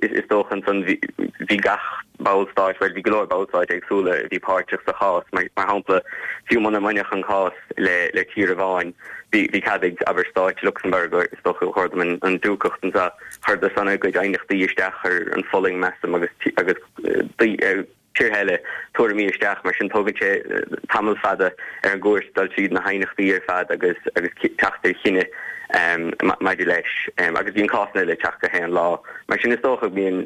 is dócha ansan bhí gach ballstáit, bhuel bhí go leor ballstáit éagsúla a bhí páirteach sa chás. Mar shampla, fiú muna mbainfeadh an cás le tír amháin, bhí cead ag, abair, stáit Lucsamburg, is dócha, chuir an Dúcacht anseo, chuireadar san a gcuid aighneachtaí isteach, chuir an Pholainn, measaim, agus agus tíortha eile tuairimí isteach. Mar sin tógann sé tamall fada ar an gcúirt dul tríd na haighneachtaí ar fad agus agus teacht ar chinneadh maidir leis. Agus bíonn cásanna eile ag teacht gach aon lá. Mar sin is dócha go mbíonn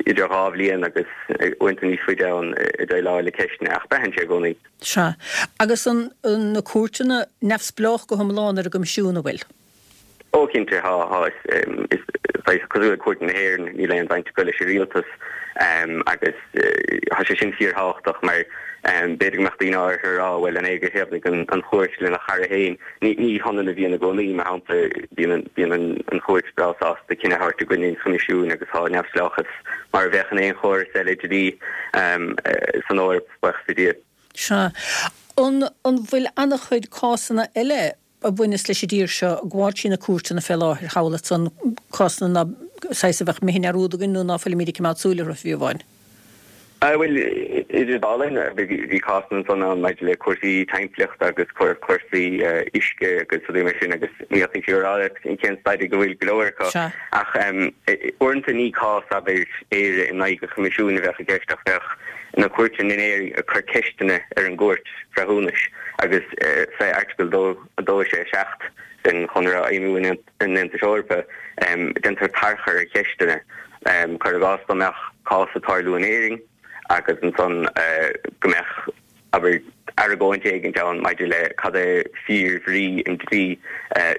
idir dhá bhliain agus uaireanta níos faide ann ag déileáil le ceisteanna, ach braitheann sé i gcónaí. Sea. Agus an na cúirteanna neamhspleách go hiomlán ar an gCoimisiún, an bhfuil? Ó, cinnte, tá, tá. Is saghas cosúil le cúirteanna na hÉireann, níl aon bhaint acu leis an rialtas agus tá sé sin fíorthábhachtach mar b'fhéidir go mbeadh daoine áirithe ag rá, bhuel, an é gur thaobhnaigh an chúirt lena chara féin? Ní hionann a bhíonn i gcónaí. Mar shampla, bíonn an chúirt breá sásta cinneadh a thabhairt i gcoinne an Choimisiúin agus tá neamhspleáchas mar a bheadh in aon chóras eile dlí san Eoraip, buíochas le Dia. Sea. An bhfuil an-chuid cásanna eile a bhaineas leis an dtír seo ag gabháil trí na cúirteanna fé láthair thall ansan, cásanna ná saghas a bheadh imithe i ndearúd againn nó ná fuilimíd ag coimeád súil orthu fiú amháin. Bhuel, idir an dá linn, bhí cásanna ansan ann maidir le cúrsaí timpeallachta agus cúrsaí uisce agus rudaí mar sin agus ní fhéadfainn fiú a rá leat cén staid ag a bhfuil go leor acu. Ach uaireanta ní cás, abair, Éire in aghaidh an Choimisiúin a bheadh i gceist ach bheadh na cúirteanna in Éirinn ag cur ceisteanna ar an gCúirt Bhreithiúnais agus fé Airteagal dó sé seacht den Chonradh Fheidhmiú an Aontais Eorpaigh déantar tarchur ar cheisteanna. Cuir i gcás dá mbeadh cás ag tarlú in Éirinn agus ansan go mbeadh, abair, argóint éigint ann maidir le cad é fíor-bhrí an dlí,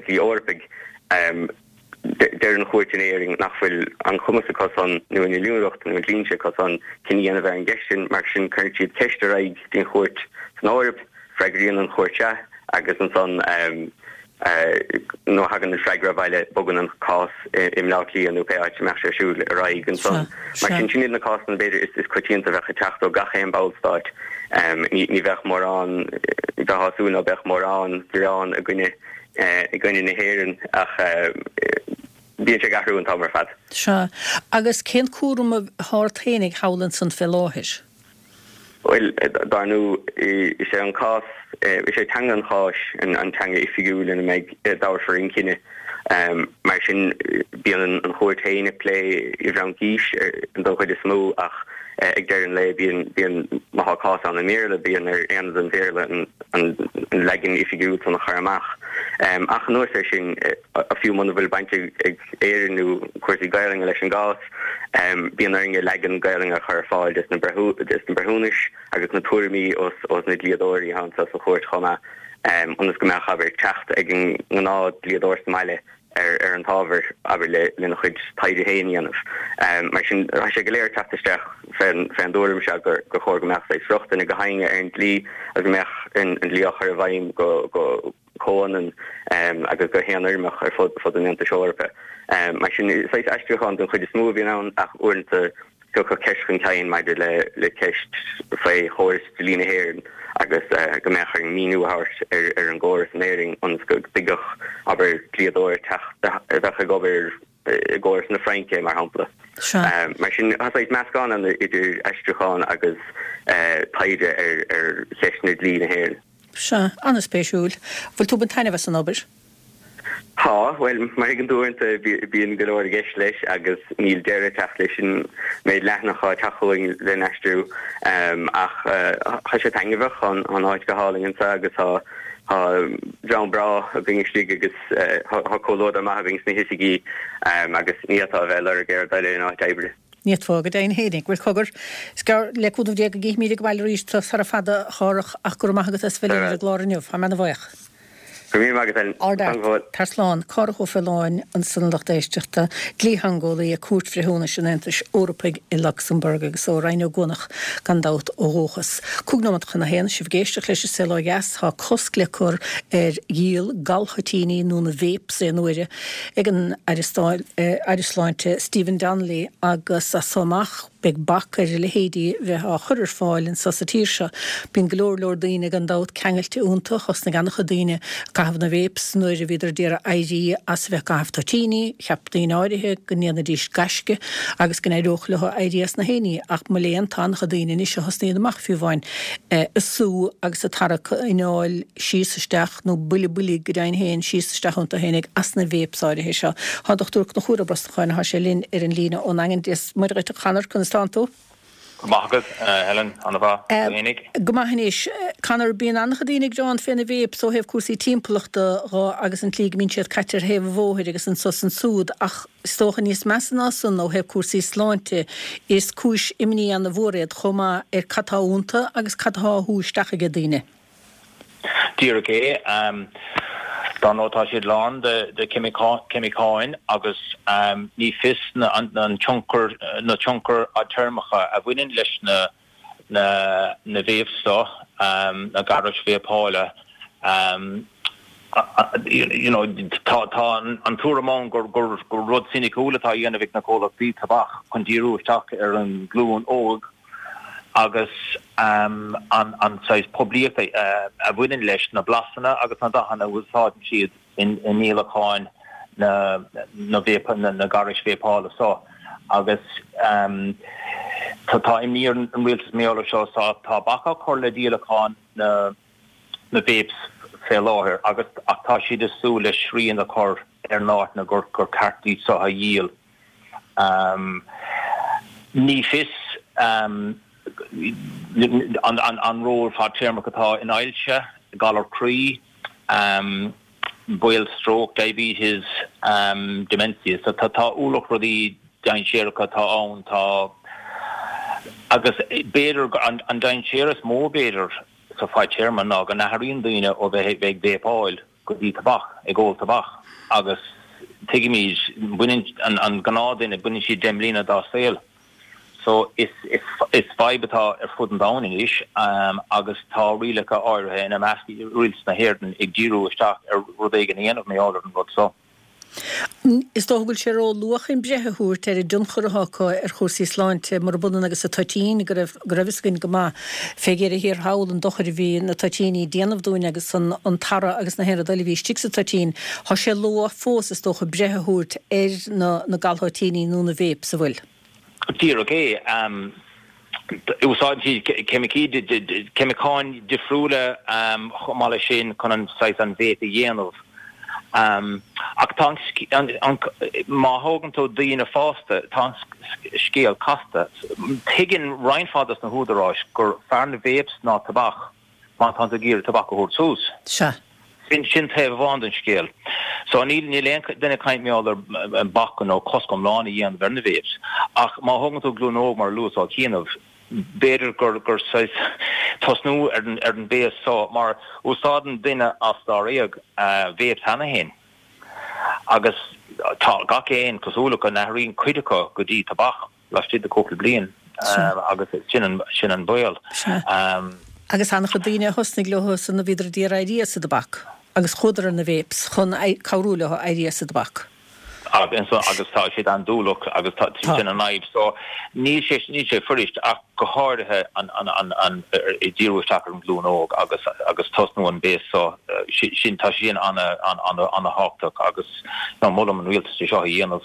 dlí Eorpaigh, Deir an chúirt in Éirinn nach bhfuil an cumas acu san, nó an inniúlacht nó an dlínse acu san, cinneadh a dhéanamh ar an gceist sin. Mar sin, cuireann siad ceist ar aghaidh dtí'n chúirt san Eoraip, freagraíonn an chúirt sea, agus ansan nuair a thagann an freagra abhaile, bogann an cás i mBleá Cliath nó pé áit a mbeadh sé ar siúl ar aghaidh ansan. Mar sin, sin iad na cásanna, b'fhéidir, is coitianta a bheadh ag teacht ó gach aon bhallstát. Ní bheadh mórán, bheifeá ag súil ná beadh mórán gearán i gcoinne i gcoinne na hÉireann ach bíonn sé ag athrú an t-am ar fad. Sea. Agus cén cúram atá ort fhéinig thall ansan fé láthair? Bhuel, dar ndóigh, is é an cás, is é teanga an cháis an teanga oifigiúil ina mbeidh, dtabharfar an cinneadh. Mar sin, bíonn an chúirt féin ag plé i bhFraincís don chuid is mó ach ag deireadh an lae bíonn, bíonn, má tá cás ann i mBéarla, bíonn ar aonad an Bhéarla an leagan oifigiúil san a chur amach. Ach anuas air sin, fiú muna bhfuil baint ag Éirinn nó cúrsaí Gaelainne leis an gcás, Bíonn orainne leagan Gaelainne a chur ar fáil des na breithiúnais agus na tuairimí ós na dlíodóirí atá anso sa chúirt chomh maith, ionas go mbeadh, abair, teacht ag an ngnáth dlíodóir sa mbaile ar an t-ábhar, abair, lena chuid taighde féin a dhéanamh. Mar sin, tá sé go léir ag teacht isteach fén dtuairim seo gur chóir go mbeadh saghas rochtain ag gach éinne ar an dlí agus go mbeadh an dlí á chur i bhfeidhm go comhionann agus go haonfhoirmeach ar fud fud an Aontais Eorpaigh. Mar sin, saghas aistriúchán den chuid is mó a bhíonn ann ach uaireanta tiocfaidh ceist chun cinn maidir le le ceist faoi chóras dlí na hÉireann agus go mbeadh orainn míniú a thabhairt ar an gcóras in Éirinn ionas go dtuigfeadh, abair, dlíodóir teacht a bheadh ag obair i gcóras na Fraince, mar shampla. Mar sin, tá saghas meascán ann idir aistriúchán agus taighde ar cheisteanna dlí na hÉireann. Sea, an-spéisiúil. Bhfuil tú ag baint taitneamh as an obair? Tá, bhuel, mar a thuigeann tú uaireanta bíonn go leor i gceist leis agus níl deireadh ag teacht leis an méid leathanach atá ag teacht chugainn le n-aistriú. Ach tá sé taitneamhach, tá an áit go hálainn anseo agus tá tá dream breá againn istigh agus tá comhluadar maith againn sna hoifigí agus ní fhéadfá a bheith ag lorg aon rud eile in áit oibre. Ní fhéadfá, go deimhin fhéinig. Bhuel, cogar, is gearr le cúnamh Dé go gcífimid ag baile arís tú sara fada, a Chárthach, ach go raibh maith agat as bheith linn ar an gclár inniu. Tá mé ana-bhuíoch. Go raibh míle maith agat, Ellen. Ard fhear. Tar slán. Cárthach Ó Faoláin ansan a lucht éisteachta, dlítheangeolaí ag Cúirt Bhreithiúnais an Aontais Eorpaigh i Lucsamburg agus ó Rinn Ó gCuanach gan dabht ó dhúchas. Cúig nóiméad chun a haon, sibh ag éisteacht leis an Saol Ó Dheas, tá cosc le cur ar dhíol galthoitíní nó na vapes aon uaire ag an Aire Aire Sláinte Stephen Donnelly agus as so amach beidh bac ar a leithéidí bheith á chur ar fáil anso sa tír seo. Bíonn go leor leor daoine gan dabht ceangailte iontu, thosnaigh an-chuid daoine ag caitheamh na vapes nuair a bhíodar d'iarraidh éirí as a bheith ag caitheamh toitíní, cheap daoine áirithe go ndéanfaidís gaisce agus go n-éireodh leo éirí as na héinní ach mo léan tá an-chuid daoine anois a thosnaíonn amach fiú amháin ag sú agus ag tarrac anáil síos isteach nó buille boilg go deimhin féin síos isteach iontu fhéinig as na vapes áirithe seo. Tá an Dochtúir Conchúr Ó Brosnacháin, thá sé linn ar an líne ón nDaingean. Dia 's Muire dhuit a Chonor, conas tánn tú? Go maith agat, Helen, ana-mhaith, tú fhéinig? Go maith anois. Conor, bíonn an-chuid daoine ag gearán fé na vapes ó thaobh cúrsaí timpeallachta dho agus an tslí go mbíonn siad caite ar thaobh an bhóthair agus anso 's ansúd ach is dócha níos measa ná san ó thaobh cúrsaí sláinte is cúis imní ana-mhór iad chomh maith ar cad tá iontu agus cad atá á shú isteach aige daoine. Díreach é. Dar ndóigh tá siad lán de cheimiceáin agus ní fios an tionchar, na tionchair fhadtéarmacha a bhaineann leis na na vapes seo, na gairis vápála. You know, tá tá an tuairim ann gur gur rud soiniciúil atá á dhéanamh ag na comhlachtaí tobac chun díriú isteach ar an nglúin óg. agus an saghas poiblíochta a bhaineann leis na blasanna agus na dathanna a úsáideann siad i ndíolacháin na na gairis vápála seo agus tá imní ar an rialtas mar gheall air seo tá bac á chur le díolachán na na vapes fé láthair agus ach tá siad ag súil le srian a chur ar na háiteanna gur gur ceart iad seo a dhíol. Ní fios an ról fadtéarmach atá in ailse, galar croí, baol stróc, diabetes, dementia. So tá ualach rudaí dainséaracha atá ann. Tá agus b'fhéidir an dainséar is mó b'fhéidir sa fadtéarma ná go n-athraíonn daoine ó bheith ag vápáil go dtí tobac, ag ól tobac agus tuigimid, baineann an gnáthdhuine, baineann siad deich mbliana dá saol. So is is fadhb atá ar fud an domhain anois agus tá rialacha áirithe, ina measc rialtas na hÉireann, ag díriú isteach ar rud éigin a dhéanamh mar gheall ar an rud so. Is dócha go bhfuil sé ró-luath chun breith a thabhairt ar an dtionchar atá acu ar chúrsaí sláinte, murab ionann agus an toitín, go raibh go raibh fhios againn go maith fé dheireadh thiar thall an dochar a bhí na toitíní ag déanamh dúinn agus an an tarra agus na haon rud eile a bhí istigh sa toitín. Tá sé luath fós, is dócha, breith a thabhairt ar na na galthoitíní nó na vapes, an bhfuil? Díreach é. Úsáideann siad ceimicí, ceimiceáin difriúla chomh maith leis sin chun an saghas an vape a dhéanamh. Ach tá an, má thógann tú daoine fásta, tá an scéal casta. Tuigeann roinnt mhaith dos na húdaráis gur fearr na vapes ná tobac má tá tú ag iarraidh tobac a thabhairt suas. Sea. Sin, sin taobh amháin den scéal. So níl, níl aon duine ag caint mar gheall ar bac nó cosc iomlán a dhéanamh ar na vapes. Ach má thógann tú glúin óg mar a luas á chianaibh, b'fhéidir gur, gur saghas tosnú ar an, ar an béas so mar úsáideann duine as dáréag vapes cheana féin. Agus tá gach aon cosúlacht go n-athraíonn cuid acu go dtí tobac laistigh de cúpla bliain agus sin an, sin an baol. Sea. Agus an-chuid daoine a thosnaigh leo san a bhíodar d'iarraidh éirí as an dtobac agus chuadar ar na vapes chun cabhrú leo éirí as an dtobac. Agus agus tá siad andúileach agus tá sin an fhadhb. So níl sé níl sé fuirist ach go háirithe an an an an ag díriú isteach ar an nglúin óg agus agus tosnú an béas so sin tá sin ana ana ana ana thábhachtach agus ná molaim an rialtas é seo a dhéanamh.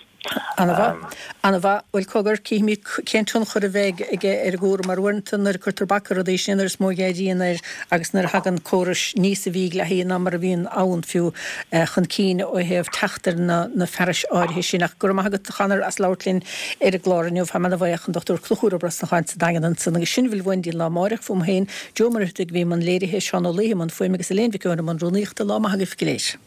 Ana-mhaith. Ana-mhaith. Bhuel, cogar, cífimid cén tionchar a bheidh aige ar an gcúram, mar uaireanta nuair a cuirtear bac ar rudaí, sin an uair is mó a éiríonn air agus nuair a thagann córais níosa mhídhleathaí ná mar a bhíonn ann fiú chun cinn ó thaobh teacht ar na fearais áirithe sin. Ach go raibh maith agat, a Chonor, as labhairt linn ar an gclár inniu. Táim ana-bhuíoch, an Dochtúir Conchúr Ó Brosnacháin sa Daingean ansan. Agus sin a bhfuil uainn go dtí an lá amáireach fúm féin, Joe Ó Muircheartaigh a bhí i mbun léirithe, Seán Ó Laoithe i mbun fuaime agus Elaine Mhic Eoin i mbun rúnaíochta. Lá maith agaibh go léir.